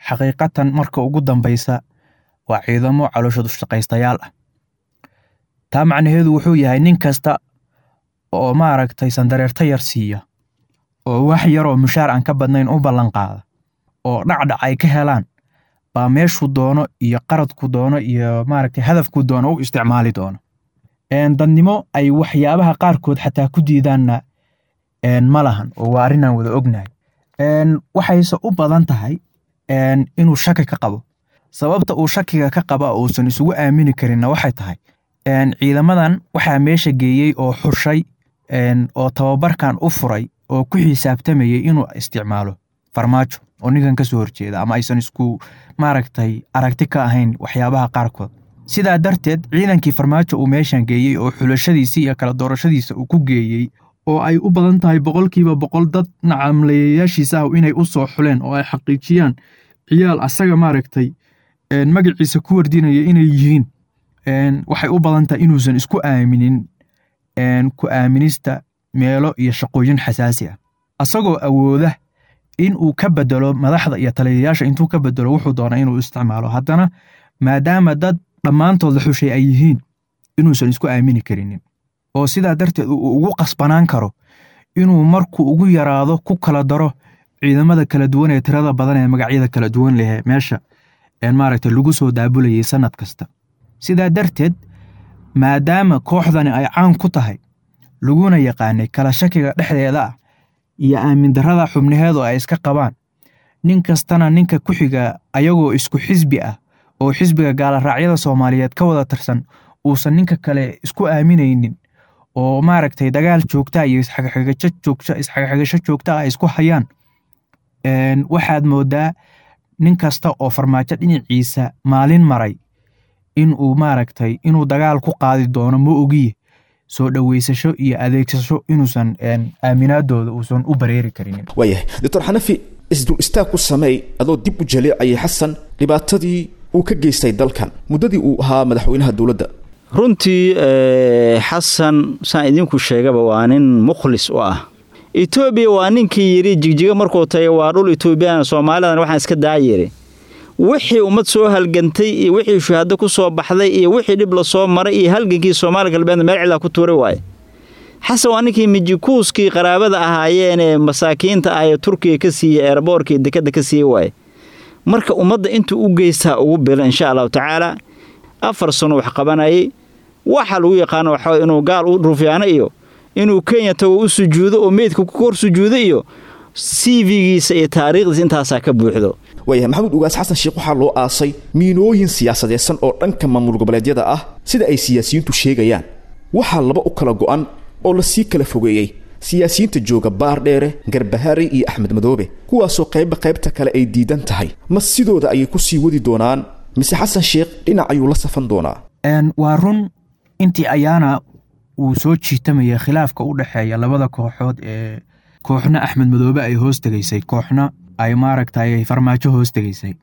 xaqiiqatan marka ugu dambaysa waa ciidamo caloosha dushaqaystayaal ah. Taa macnaheedu wuxuu yahay nin kasta oo maaragtay sandareerta yar siiya oo wax yar oo mushaar aan ka badnayn u ballan qaada oo dhacdhac ay ka helaan baa meeshuu doono iyo qaradku doono iyo maaragtay hadafku doono u isticmaali doono. Dadnimo ay waxyaabaha qaarkood xataa ku diidaanna ma lahan oo waa arrin aan wada ognahay. Waxayse u badan tahay inuu shaki ka qabo. Sababta uu shakiga ka qaba uusan isugu aamini karinna waxay tahay ciidamadan waxaa meesha geeyey oo xushay oo tababarkan u furay oo ku xisaabtamayay inuu isticmaalo Farmaajo oo ninkan ka soo horjeeda ama aysan isku maaragtay aragti ka ahayn waxyaabaha qaarkood. Sidaa darteed ciidankii Farmaajo uu meeshan geeyey oo xulashadiisii iyo kala doorashadiisa uu ku geeyey oo ay u badan tahay boqolkiiba boqol dad nacamleeyayaashiisa ah inay u soo xuleen oo ay xaqiijiyaan ciyaal asaga maaragtay magaciisa ku wardinaya inay yihiin, waxay u badan tahay inuusan isku aaminin ku aaminista meelo iyo shaqooyin xasaasi ah, asagoo awooda in uu ka bedelo madaxda iyo taliyayaasha intuu ka bedelo wuxuu doonaa inuu isticmaalo. Haddana maadaama dad dhammaantood la xushay ay yihiin inuusan isku aamini karinin oo sidaa darteed uu ugu qasbanaan karo inuu markuu ugu yaraado ku kala daro ciidamada kala duwan ee tirada badan ee magacyada kala duwan leh meesha maaragtay lagu soo daabulayay sanad kasta. Sidaa darteed maadaama kooxdani ay caan ku tahay laguna yaqaanay kala shakiga dhexdeeda ah iyo aamin darrada xubnaheedu ay iska qabaan, nin kastana ninka ku xiga ayagoo isku xisbi ah oo xisbiga gaalaraacyada Soomaaliyeed ka wada tirsan uusan ninka kale isku aaminaynin oo maaragtay dagaal joogta iyo isxagxagasho joogta isxagxagasho joogta ay isku hayaan, waxaad moodaa nin kasta oo Farmaajo dhinaciisa maalin maray in uu maaragtay inuu dagaal ku qaadi doono ma ogiye soo dhaweysasho iyo adeegsasho inuusan aaminaadooda uusan u bareeri karinin. Waayahay Doctor Xanafi, isdul istaag ku sameey adoo dib u jaleecayay Xasan dhibaatadii uu ka geystay dalkan muddadii uu ahaa madaxweynaha dowladda. Runtii Xasan saan idinku sheegaba waa nin mukhlis u ah Etoobiya. Waa ninkii yidhi Jigjiga markuu tagay waa dhul Etoobiyana, Soomaalidan waxaan iska daa yidhi wixii ummad soo halgantay iyo wixii shuhado ku soo baxday iyo wixii dhib la soo maray iyo halgankii Soomaali galbeed meel cilaa ku tuuray waaye. Xasan waa ninkii mijikuuskii qaraabada ahaayeen ee masaakiinta ah ee Turkiga ka siiyey eerboorka iyo dekadda ka siiyey waaye. Marka ummadda intuu u geystaa ugu bilan insha Allahu tacaala. Afar sano wax qabanayay, waxa lagu yaqaano waxa inuu gaal u ruufyaano iyo inuu Kenya tago u sujuudo oo meydka ku kor sujuudo iyo C V-giisa iyo taariikhdiisa intaasaa ka buuxdo. Waayahay Maxamuud Ugaas, Xasan Sheekh waxaa loo aasay miinooyin siyaasadeedsan oo dhanka maamul goboleedyada ah sida ay siyaasiyiintu sheegayaan. Waxaa laba u kala go'an oo lasii kala fogeeyey siyaasiyiinta jooga Baardheere, Garbahari iyo Axmed Madoobe, kuwaasoo qaybba qaybta kale ay diidan tahay. Ma sidooda ayay ku sii wadi doonaan mise Xasan Sheekh dhinac ayuu la safan doonaa? Waa run intii ayaana uu soo jiitamaya khilaafka u dhexeeya labada kooxood ee kooxna Axmed Madoobe ay hoos tegaysay, kooxna ay maaragtay Farmaajo hoos tegaysay.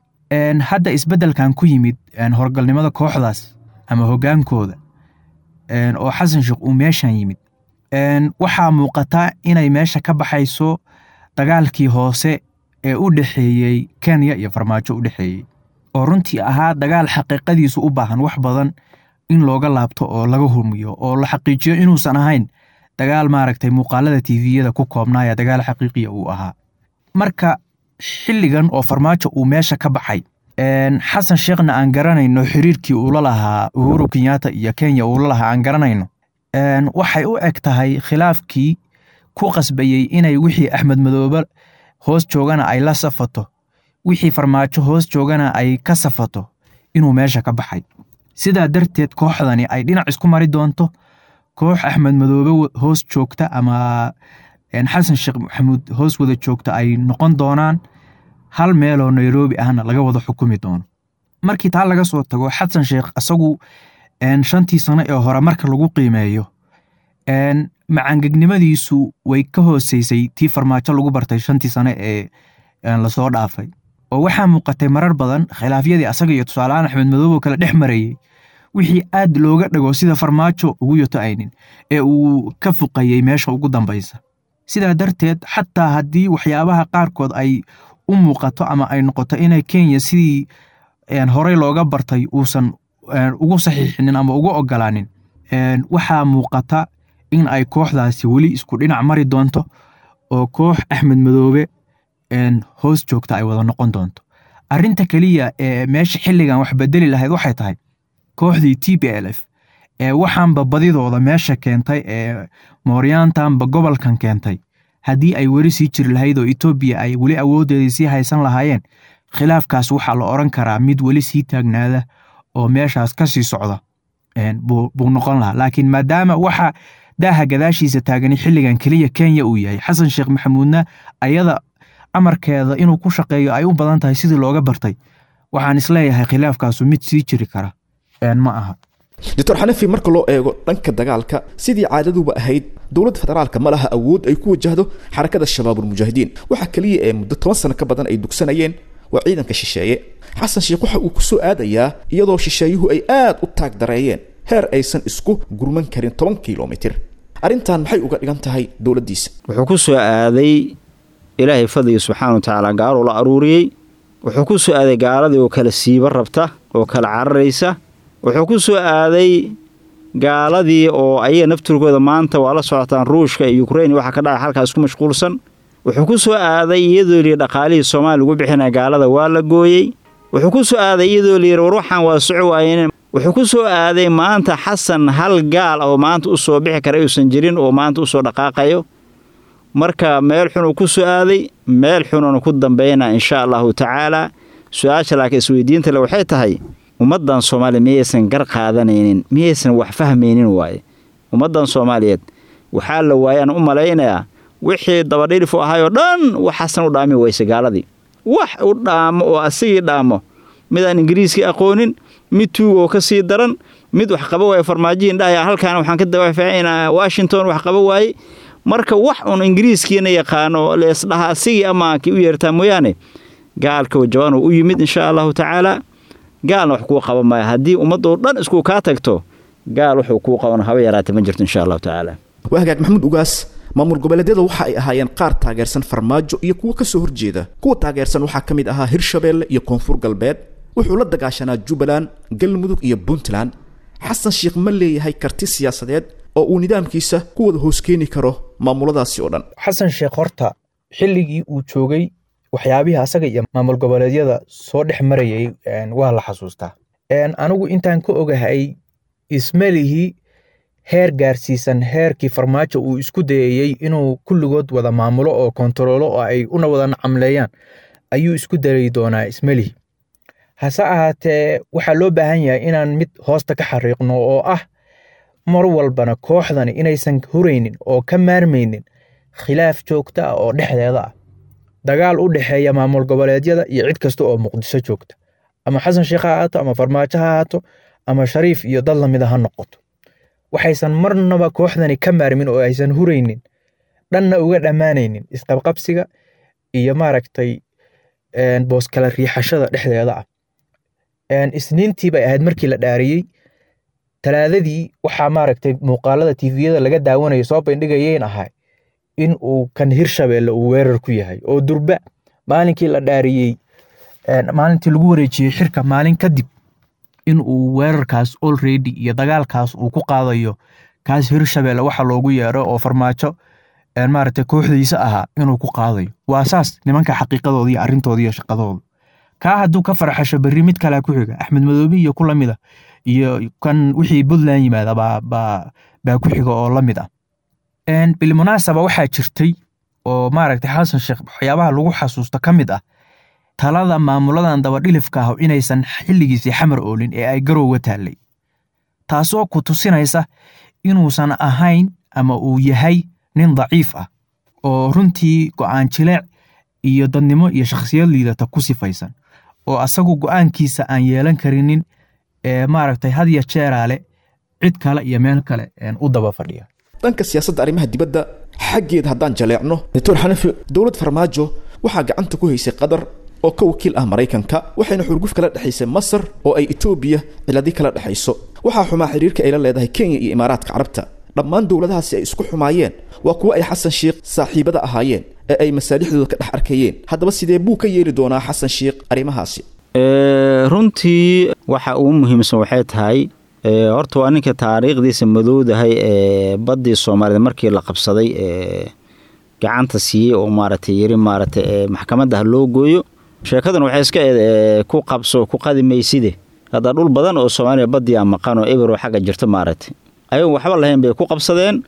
Hadda isbeddelkan ku yimid horgalnimada kooxdaas ama hoggaankooda oo Xasan Sheekh uu meeshan yimid, waxaa muuqata inay meesha ka baxayso dagaalkii hoose ee u dhexeeyey Kenya iyo Farmaajo u dhexeeyey, oo runtii ahaa dagaal xaqiiqadiisu u baahan wax badan in looga laabto oo laga humiyo oo la xaqiijiyo inuusan ahayn dagaal maaragtay muuqaalada T V-yada ku koobnaaya, dagaal xaqiiqiya uu ahaa. Marka xilligan oo Farmaajo uu meesha ka baxay, Xasan Sheekhna aan garanayno xiriirkii uu la lahaa Uhuru Kenyatta iyo Kenya uu la lahaa aan garanayno, waxay u eg tahay khilaafkii ku qasbayey inay wixii Axmed Madoobe hoos joogana ay la safato, wixii Farmaajo hoos joogana ay ka safato, inuu meesha ka baxay. Sidaa darteed kooxdani ay dhinac isku mari doonto, koox Axmed Madoobe hoos joogta ama Xasan Sheekh Maxamuud hoos wada joogta ay noqon doonaan, hal meeloo Nairobi ahna laga wada xukumi doono. Markii taa laga soo tago, Xasan Sheekh asagu shantii sano ee hore marka lagu qiimeeyo macangegnimadiisu way ka hooseysay tii Farmaajo lagu bartay shantii sano ee lasoo dhaafay, oo waxaa muuqatay marar badan khilaafyadii asaga iyo tusaalehaan Axmed Madoobe kala dhex marayay wixii aad looga dhago sida Farmaajo ugu yoto aynin ee uu ka fuqayay meesha ugu dambaysa. Sidaa darteed xataa haddii waxyaabaha qaarkood ay u muuqato ama ay noqoto inay Kenya sidii horey looga bartay uusan ugu saxiixinin ama ugu ogolaanin, waxaa muuqata in ay kooxdaasi weli isku dhinac mari doonto oo koox Axmed Madoobe hoos joogta ay wada noqon doonto. Arrinta keliya ee meesha xilligan wax bedeli lahayd waxay tahay kooxdii T P L F ee waxaanba badidooda meesha keentay ee Mooryaantanba gobolkan keentay, haddii ay weli sii jiri lahayd oo Etoobiya ay weli awoodeedii sii haysan lahaayeen, khilaafkaas waxaa la oran karaa mid weli sii taagnaada oo meeshaas ka sii socda buu noqon lahaa. Laakiin maadaama waxa daaha gadaashiisa taagani xilligan keliya Kenya uu yahay, Xasan Sheekh Maxamuudna ayada amarkeeda inuu ku shaqeeyo ay u badan tahay sidii looga bartay, waxaan isleeyahay khilaafkaasu mid sii jiri kara ma aha. Doctor Xanafi, marka loo eego dhanka dagaalka sidii caadaduba ahayd dowladda federaalka ma laha awood ay ku wajahdo xarakada Shabaabul Mujaahidiin. Waxa kaliya ee muddo toban sano ka badan ay dugsanayeen waa ciidanka shisheeye. Xasan Sheekh waxa uu ku soo aadayaa iyadoo shisheeyuhu ay aad u taag dareeyeen heer aysan isku gurman karin toban kiiloomitir. Arrintan maxay uga dhigan tahay dowladdiisa? Wuxuu ku soo aaday Ilaahay fadliga subxaanahu wa tacaala gaaluu la aruuriyey. Wuxuu ku soo aaday gaaladii oo kala siiba rabta oo kala cararaysa. Wuxuu ku soo aaday gaaladii oo ayaga nafturkooda maanta waa la socotaan Ruushka iyo Ukraine waxa ka dhacay halkaas ku mashquulsan. Wuxuu ku soo aaday iyadoo li dhaqaalihii Soomaaliya lagu bixinay gaalada waa la gooyey. Wuxuu ku soo aaday iyadoo li war waxaan waa soco waayeen. Wuxuu ku soo aaday maanta Xasan hal gaal oo maanta u soo bixi kara uusan jirin oo maanta u soo dhaqaaqayo. Marka meel xun uu ku soo aaday, meel xun uu ku dambeynaa insha Allahu tacaala. Su'aasha laakiin isweydiinta le waxay tahay Ummaddan Soomaaliya miyaysan gar qaadanaynin, miyaysan wax fahmaynin waaye? Ummaddan Soomaaliyeed waxaa la waayaan u malaynayaa wixii dabadhilif u ahaayoo dhan wax Xasan u dhaami weyse gaaladii. Wax u dhaamo oo asigii dhaamo, midaan Ingiriiskii aqoonin, mid tuugoo ka sii daran, mid wax qaba waaye farmaajihin dhahaya halkaana waxaan ka dawaafacaynaa Washington wax qaba waaye. Marka wax uun Ingiriiskiina yaqaano leesdhaha asigii amaankii u yeertaa mooyaane, gaalka wajawaan u yimid insha Allahu tacaala. Gaalna wax kuu qaban maayo haddii ummadoo dhan isku kaa tagto, gaal wuxuu kuu qaban haba yaraatee ma jirto insha Allahu tacaala. Waa hagaag Maxamuud Ugaas, maamul goboleedyada waxa ay ahaayeen qaar taageersan Farmaajo iyo kuwo ka soo horjeeda. Kuwa taageersan waxaa ka mid ahaa Hirshabeelle iyo Koonfur Galbeed. Wuxuu la dagaashanaa Jubbaland, Galmudug iyo Puntland. Xasan Sheekh ma leeyahay karti siyaasadeed oo uu nidaamkiisa ku wada hoos keeni karo maamuladaasi oo dhan? Xasan Sheekh horta xilligii uu joogay waxyaabihii asaga iyo maamul goboleedyada soo dhex marayay waa la xasuustaa. Anigu intaan ka ogahay ismalihii heer gaarsiisan heerkii Farmaajo uu isku dayayey inuu kulligood wada maamulo oo kontaroolo oo ay una wada nacamleeyaan ayuu isku dayi doonaa ismalihi. Hase ahaatee waxaa loo baahan yahay inaan mid hoosta ka xariiqno oo ah mar walbana kooxdani inaysan huraynin oo ka maarmaynin khilaaf joogto ah oo dhexdeeda ah, dagaal u dhexeeya maamul goboleedyada iyo cid kasta oo Muqdisho joogta, ama Xasan Sheekh ha ahaato, ama Farmaajo ha ahaato, ama Shariif iyo dad lamida ha noqoto. Waxaysan marnaba kooxdani ka maarmin oo aysan huraynin dhanna uga dhammaanaynin isqabqabsiga iyo maaragtay boos kala riixashada dhexdeeda ah. Isniintii bay ahayd markii la dhaariyey, talaadadii waxaa maaragtay muuqaalada T V-yada laga daawanayo soo bandhigayeen ahay in uu kan Hirshabeelle uu weerar ku yahay oo durba maalinkii la dhaariyey, maalintii lagu wareejiyey xirka maalin kadib, in uu weerarkaas already iyo dagaalkaas uu ku qaadayo kaas Hirshabeelle waxa loogu yeero oo Farmaajo maaragtay kooxdiisa ahaa inuu ku qaadayo. Waa saas nimanka xaqiiqadooda iyo arrintooda iyo shaqadooda. Kaa hadduu ka farxasho berri mid kalea ku xiga, Axmed Madoobe iyo ku lamid ah, iyo kan wixii Puntland yimaada baa baa baa ku xiga oo lamid ah. Bilmunaasaba waxaa jirtay oo maaragtay Xasan Sheekh waxyaabaha lagu xasuusto ka mid ah talada maamuladan dabadhilifka ah inaysan xilligiisii Xamar oolin ee ay Garowga taallay, taasoo ku tusinaysa inuusan ahayn ama uu yahay nin daciif ah oo runtii go'aan jileec iyo dadnimo iyo shakhsiyad liidata ku sifaysan, oo asagu go'aankiisa aan yeelan karinin ee maaragtay had iyo jeeraale cid kale iyo meel kale u daba fadhiya. Dhanka siyaasadda arrimaha dibadda xaggeeda haddaan jaleecno, Doctor Xanafi, dowlad Farmaajo waxaa gacanta ku haysay Qatar oo ka wakiil ah Maraykanka, waxayna xurguf kala dhexaysay Masar oo ay Etoobiya ciladi kala dhexayso. Waxaa xumaa xiriirka ay la leedahay Kenya iyo Imaaraadka Carabta. Dhammaan dowladahaasi ay isku xumaayeen waa kuwo ay Xasan Sheekh saaxiibada ahaayeen ee ay masaalixdooda ka dhex arkayeen. Haddaba sidee buu ka yeeli doonaa Xasan Sheekh arrimahaasi? Runtii waxa ugu muhiimsan waxay tahay horta waa ninka taariikhdiisa madowdahay ee baddii Soomaaliyeed markii la qabsaday ee gacanta siiyey oo maaragtay yiri maaragtay maxkamadda ha loo gooyo. Sheekadan waxay iska eed ku qabso ku qadi mayside. Hadda dhul badan oo Soomaaliya baddii aan maqan oo eber oo xagga jirta maaragtay ayagoon waxba lahayn bay ku qabsadeen.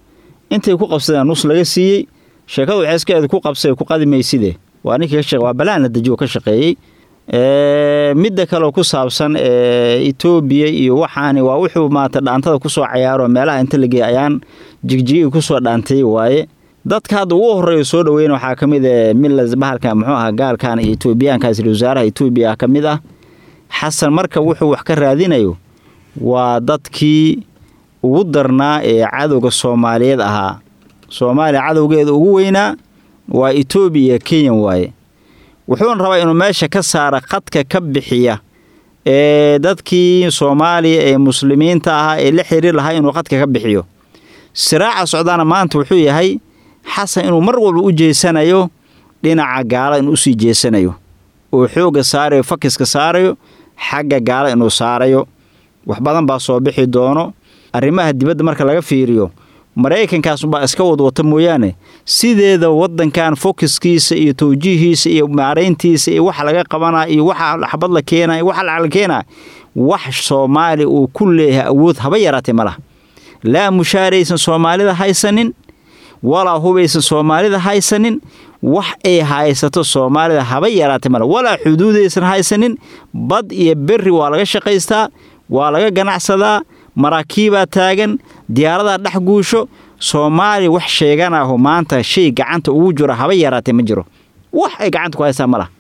Intay ku qabsadeen nus laga siiyey. Sheekadu waxay iska eed ku qabsay ku qadi mayside. Waa ninkii ka shaqe, waa balaan la dejiyo ka shaqeeyey. Midda kale oo ku saabsan Etoobiya iyo waxaani waa wuxuu maanta dhaantada kusoo cayaaro meelaha inta la geeyay ayaan jigjigii kusoo dhaantay waaye. Dadka hadda ugu horreeya soo dhaweyna waxaa ka mid ah Milas bahalka muxuu ahaa gaalkan iyo Etoobiyaankaas, wasaaraha Etoobiya ka mid ah. Xasan marka wuxuu wax ka raadinayo waa dadkii ugu darnaa ee cadowga Soomaaliyeed ahaa. Soomaaliya cadowgeeda ugu weynaa waa Etoobiya iyo Kenya waaye. Wuxuuna rabaa inuu meesha ka saara khadka ka bixiya ee dadkii Soomaaliya ee muslimiinta ahaa ee la xiriir lahaa inuu khadka ka bixiyo. Siraaca socdaana maanta wuxuu yahay Xasan inuu mar walba u jeesanayo dhinaca gaala, inuu usii jeesanayo oo xoogga saarayo, fakiska saarayo xagga gaala inuu saarayo. Wax badan baa soo bixi doono arrimaha dibadda marka laga fiiriyo. Maraykankaas unbaa iska wadwata mooyaane, sideeda waddankan fokiskiisa iyo tawjiihiisa iyo maarayntiisa iyo waxa laga qabanaa iyo waxa xabad la keenaa iyo waxa lacag la keenaa, wax Soomaali uu ku leeyahay awood haba yaraatee ma laha. Laa mushaaraysan Soomaalida haysanin, walaa hubaysan Soomaalida haysanin. Wax ay haysato Soomaalida haba yaraatay male, walaa xuduudaysan haysanin. Bad iyo berri waa laga shaqaystaa, waa laga ganacsadaa, maraakiibaa taagan, diyaaradaa dhex guusho. Soomaaliya wax sheeganaho maanta shay gacanta ugu jiro haba yaraatay ma jiro. Wax ay gacanta ku haystaa ma laha.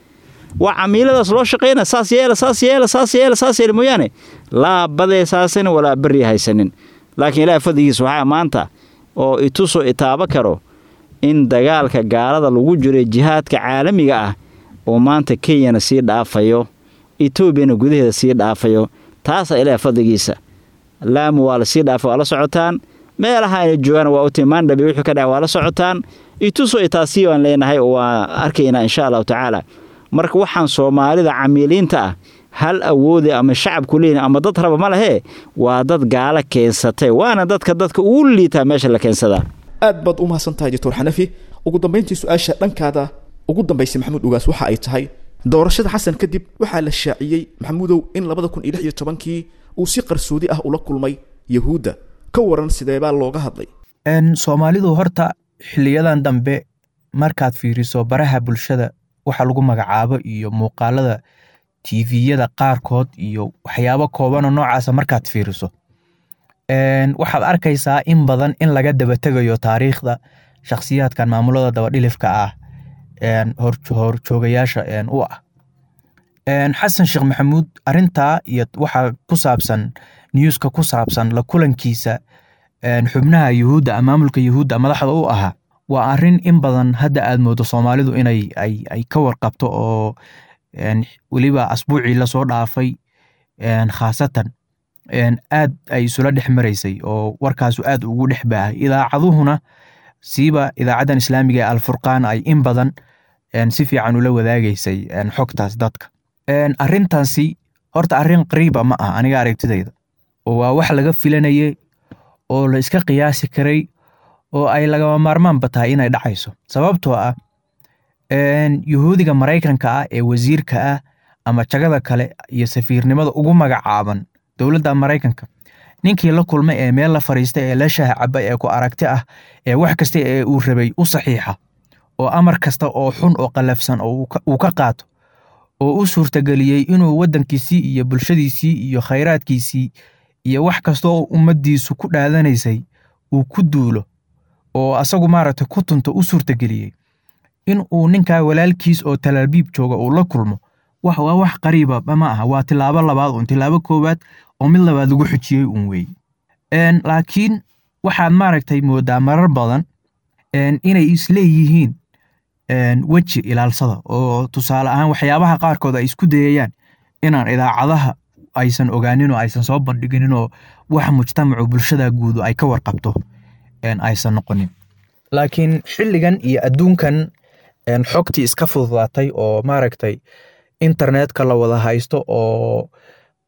Waa camiiladaas loo shaqayna, saas yeela, saas yeela, saas yeela, saas yeela mooyaane, laa baday saasanin walaa berri haysanin. Laakiin Ilaahay fadligiisa waxaa maanta oo itusoo itaabo karo in dagaalka gaalada lagu jiray, jihaadka caalamiga ah, oo maanta Kenyana sii dhaafayo, Etoobiyana gudaheeda sii dhaafayo. Taasaa Ilaahay fadligiisa. Laamu waa la sii dhaafay, waa la socotaan. Meelaha ayna joogaan waa u timaandhabi, wixii ka dhacay waa la socotaan. Itusoo itaasii waan leenahay oo waa arkaynaa insha Allahu tacaala. Marka waxaan Soomaalida camiiliinta ah hal awoode ama shacabku leeyihin ama dad raba ma lehee, waa dad gaala keensatay, waana dadka dadka ugu liitaa meesha la keensadaa. Aad baad u mahadsan tahay, Doctor Xanafi. Ugu dambayntii, su-aasha dhankaada ugu dambaysay, Maxamuud Ugaas, waxa ay tahay: doorashada Xasan kadib waxaa la shaaciyey, Maxamuudow, in labada kun iyo lix iyo tobankii uu si qarsoodi ah ula kulmay Yahuudda. Ka waran, sideebaa looga hadlay? Soomaalidu horta xiliyadan dambe markaad fiiriso baraha bulshada waxa lagu magacaabo iyo muuqaalada T V-yada qaarkood iyo waxyaabo koobanoo noocaasa markaad fiiriso, waxaad arkaysaa in badan in laga daba tegayo taariikhda shakhsiyaadkan maamulada dabadhilifka ah horjoogayaasha u ah. Xasan Sheekh Maxamuud arrintaa iyo waxa ku saabsan newska ku saabsan la kulankiisa xubnaha Yuhuudda, maamulka Yuhuudda madaxda u ahaa, waa arrin in badan hadda aad moodo Soomaalidu inay ay ay ka warqabto, oo weliba asbuucii lasoo dhaafay khaasatan aad ay isula dhex maraysay oo warkaasu aad ugu dhex baahay. Idaacaduhuna, siiba idaacaddan islaamiga ee Alfurqaan, ay in badan si fiican ula wadaagaysay xogtaas dadka. Arrintaasi horta arrin qariiba ma ah aniga aragtidayda, oo waa wax laga filanayay oo la iska qiyaasi karay oo ay lagama maarmaanba tahay inay dhacayso, sababtoo ah Yuhuudiga Maraykanka ah ee wasiirka ah ama jagada kale iyo safiirnimada ugu magacaaban dowladda Maraykanka, ninkii la kulmay ee meel la fariistay ee la shaah cabay ee ku aragti ah ee wax kasta ee uu rabay u saxiixa oo amar kasta oo xun oo qallafsan oo uu ka qaato oo u suurtageliyey inuu waddankiisii iyo bulshadiisii iyo khayraadkiisii iyo wax kasta oo ummaddiisu ku dhaadanaysay uu ku duulo oo asagu maaragtay ku tunto u suurtageliyey, in uu ninkaa walaalkiis oo Talaabiib jooga uu la kulmo wax waa wax qariiba ma aha. Waa tilaabo labaad uun, tilaabo koowaad oo mid labaad lagu xujiyey uun weeye. Laakiin waxaad maaragtay moodaa marar badan inay isleeyihiin weji ilaalsada, oo tusaale ahaan waxyaabaha qaarkood ay isku dayayaan inaan idaacadaha aysan ogaanin oo aysan soo bandhiginin oo wax mujtamacu bulshada guudu ay ka warqabto aysan noqonin. Laakiin xilligan iyo adduunkan xogtii iska fududaatay oo maaragtay internetka la wada haysto oo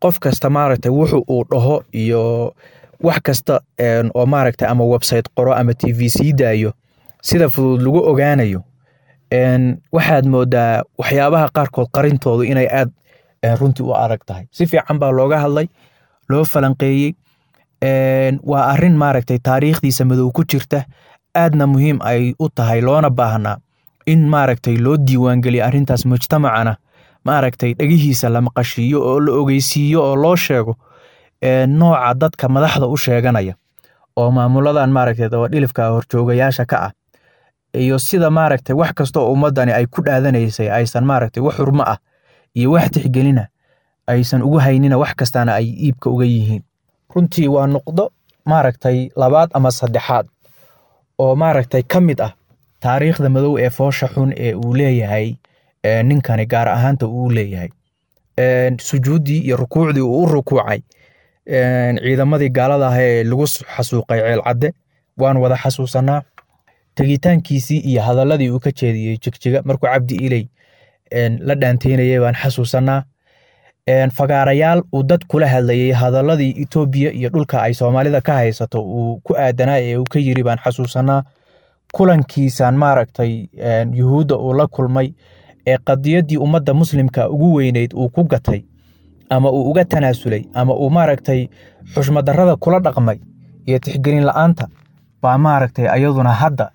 qof kasta maaragtay wuxu uu dhaho iyo wax kasta oo maaragtay ama website qoro ama T V sii daayo sida fudud lagu ogaanayo, waxaad moodaa waxyaabaha qaarkood qarintoodu inay aad runtii u adag tahay. Si fiican baa looga hadlay, loo falanqeeyey. Waa arrin maaragtay taariikhdiisa madow ku jirta, aadna muhiim ay u tahay, loona baahnaa in maaragtay loo diiwaangeliyo arrintaas, mujtamacana maaragtay dhegihiisa la maqashiiyo oo la ogeysiiyo oo loo sheego nooca dadka madaxda u sheeganaya oo maamuladan maaragtay dabadhilifka horjoogayaasha ka ah iyo sida maaragtay wax kasta oo ummadani ay ku dhaadanaysay aysan maaragtay wax xurmo ah iyo wax tixgelina aysan ugu haynina, wax kastaana ay iibka uga yihiin. Runtii waa nuqdo maaragtay labaad ama saddexaad oo maaragtay ka mid ah taariikhda madow ee foosha xun ee uu leeyahay ninkani, gaar ahaanta uu leeyahay sujuuddii iyo rukuucdii uu u rukuucay ciidamadii gaalada ah ee lagu xasuuqay Ceelcadde waan wada xasuusanaa. Tegitaankiisii iyo hadaladii uu ka jeediyey Jigjiga markuu Cabdi Iley la dhaanteynayay baan xasuusanaa. Fagaarayaal uu dad kula hadlayay hadaladii Itoobiya iyo dhulka ay Soomaalida ka haysato uu ku aadanaa ee uu ka yiri baan xasuusanaa. Kulankiisaan maaragtay Yuhuudda uu la kulmay ee qadiyaddii ummadda muslimka ugu weyneyd uu ku gatay ama uu uga tanaasulay ama uu maaragtay xushmadarrada kula dhaqmay iyo tixgelin la'aanta baa maaragtay ayaduna hadda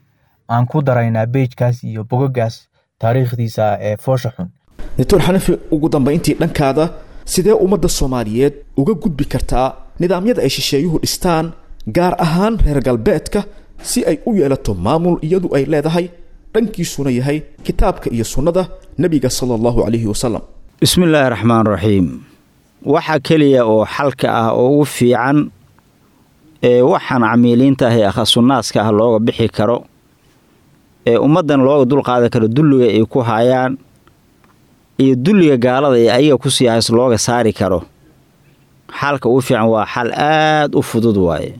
Aan ku daraynaa beejkaas iyo bogagaas taariikhdiisa ee foosha xun. Doctor Xanafi, ugu dambayntii dhankaada, sidee ummadda Soomaaliyeed uga gudbi kartaa nidaamyada ay shisheeyuhu dhistaan, gaar ahaan reer galbeedka, si ay u yeelato maamul iyadu ay leedahay, dhankiisuna yahay kitaabka iyo sunnada nebiga sala allahu calayhi wasalam? Bismi illaahi raxmaan raxiim. Waxa keliya oo xalka ah oo ugu fiican ee waxaan camiiliinta ah ee akhasunnaaska ah looga bixi karo, ee ummaddan looga dulqaadan karo dulliga ay ku hayaan iyo dulliga gaalada ee ayaga ku sii hays looga saari karo, xalka ugu fiican waa xal aad u fudud waaye.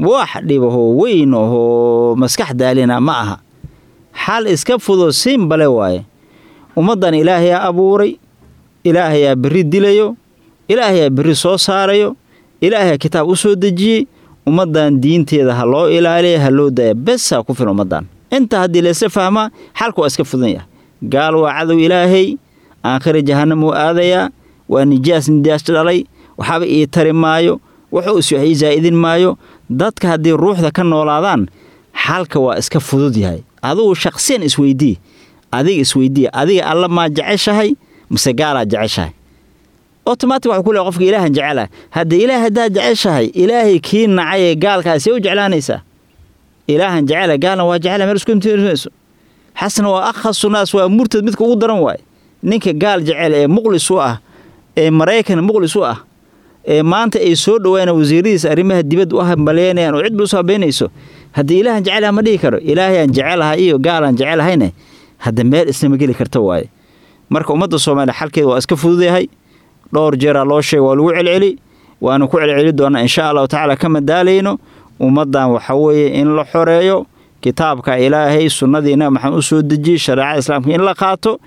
Wax dhibahoo weyn ahoo maskax daalina ma aha, xal iska fudud simbale waaye. Ummaddan Ilaahayaa abuuray, Ilaahayaa berri dilayo, Ilaahayaa berri soo saarayo, Ilaahayaa kitaab u soo dejiyey. Ummaddan diinteeda ha loo ilaaliya, ha loo daaya, besaa ku filan ummaddan. Inta haddii laysa fahmaa, xalka waa iska fudan yahay. Gaal waa cadow Ilaahay, aakhira jahannam uu aadayaa, waa nijaas nijaas dhalay, waxaaba ii tari maayo, wuxuu is wax ii zaa'idin maayo. Dadka haddii ruuxda ka noolaadaan, xalka waa iska fudud yahay. Adigu shaqsiyan isweydii, adiga isweydii, adiga Alla maa jeceshahay mise gaalaa jeceshahay? Automatic waxuu ku leeyahay qofka Ilaahan jecelahay. Haddii Ilaah haddaad jeceshahay, Ilaahay kii nacay ee gaalkaa see u jeclaanaysaa? Ilaahan jecela, gaalna waa jecela, meel isku imtiinayso. Xasan waa akhasu naas, waa murtad midka ugu daran waaye. Ninka gaal jecel ee muqlis u ah, ee Maraykan muqlis u ah, ee maanta ay soo dhawaana wasiiradiisa arrimaha dibadda u hambalyeynayaan oo cidba usoo habeynayso, haddii Ilaahan jecelaha ma dhihi karo. Ilaahayaan jecelahay iyo gaalaan jecelahayne hadda meel islama geli karta waaye. Marka ummadda Soomaaliya xalkeeda waa iska fududayahay. Dhowr jeeraa loo sheegay, waa lagu celceli, waanu ku celceli doonaa insha Allahu tacaala, kama daalayno. Ummaddan waxa weeye in la xoreeyo, kitaabka Ilaahay, sunnadii Nabi Maxamed u soo dejiyey, shareecada islaamka in la qaato,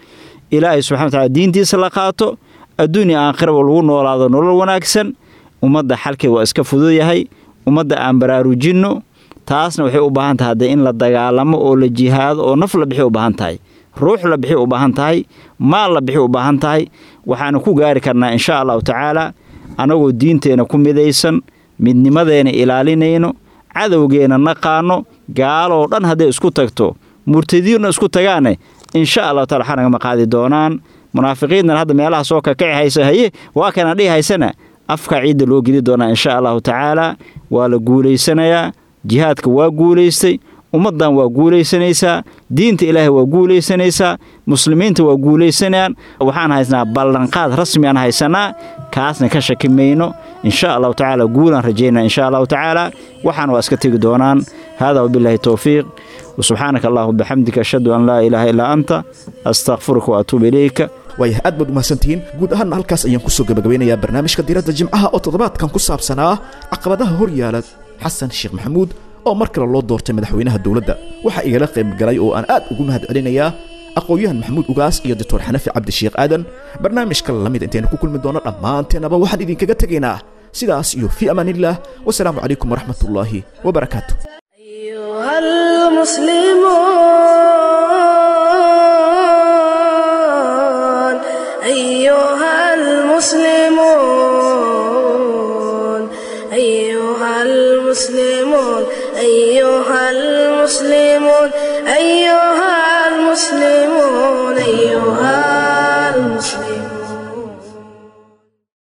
Ilaahay subxana wa tacaala diintiisa la qaato, adduun iyo aakhiraba lagu noolaado nolol wanaagsan. Ummadda xalkeeda waa iska fudud yahay. Ummadda aan baraarujinno, taasna waxay u baahan tahay haddee in la dagaalamo oo la jihaado oo naf la bixi u baahan tahay, ruux la bixi u baahan tahay, maal la bixi u baahan tahay. Waxaanu ku gaari karnaa insha Allahu tacaala anagoo diinteena ku midaysan, midnimadeena ilaalinayno, cadowgeena naqaano. Gaaloo dhan hadday isku tagto, murtadiinna isku tagaane, insha Allahu taala waxaa nagama qaadi doonaan. Munaafiqiintan hadda meelaha soo kakaci haysa, haye waa kana dhihi haysana, afka ciidda loo geli doonaa insha Allahu tacaala. Waa la guulaysanayaa, jihaadka waa guulaystay, ummaddan waa guulaysanaysaa, diinta Ilaahay waa guulaysanaysaa, muslimiinta waa guulaysanayaan. Waxaan haysnaa ballanqaad rasmi aan haysanaa, kaasna ka shaki mayno insha Allahu tacaala. Guulaan rajaynaa insha Allahu tacaala, waxaan waa iska tegi doonaan. Hada wabilaahi towfiiq, wasubxaanaka allahuma bixamdika, ashhadu an laa ilaaha illaa anta, astakfiruka wa atuubu ilayka. Waayahay, aad baad umahadsantihiin. Guud ahaanna halkaas ayaan kusoo gabagabeynayaa barnaamijka Diiradda Jimcaha oo toddobaadkan ku saabsanaa caqabadaha hor yaala Xasan Sheekh Maxamuud oo mar kale loo doortay madaxweynaha dowladda. Waxaa igala qayb galay oo aan aad ugu mahad celinayaa aqoon-yahan Maxamuud Ugaas iyo Doctor Xanafi Cabdisheekh Aadan. Barnaamijka lamid intaynu ku kulmi doono, dhammaanteenaba waxaan idinkaga tegaynaa sidaas iyo fii amaanillaah, wasalaamu calaykum waraxmatullaahi wabarakaatu. أيها المسلمون، أيها المسلمون، أيها المسلمون، أيها المسلمون، أيها المسلمون، أيها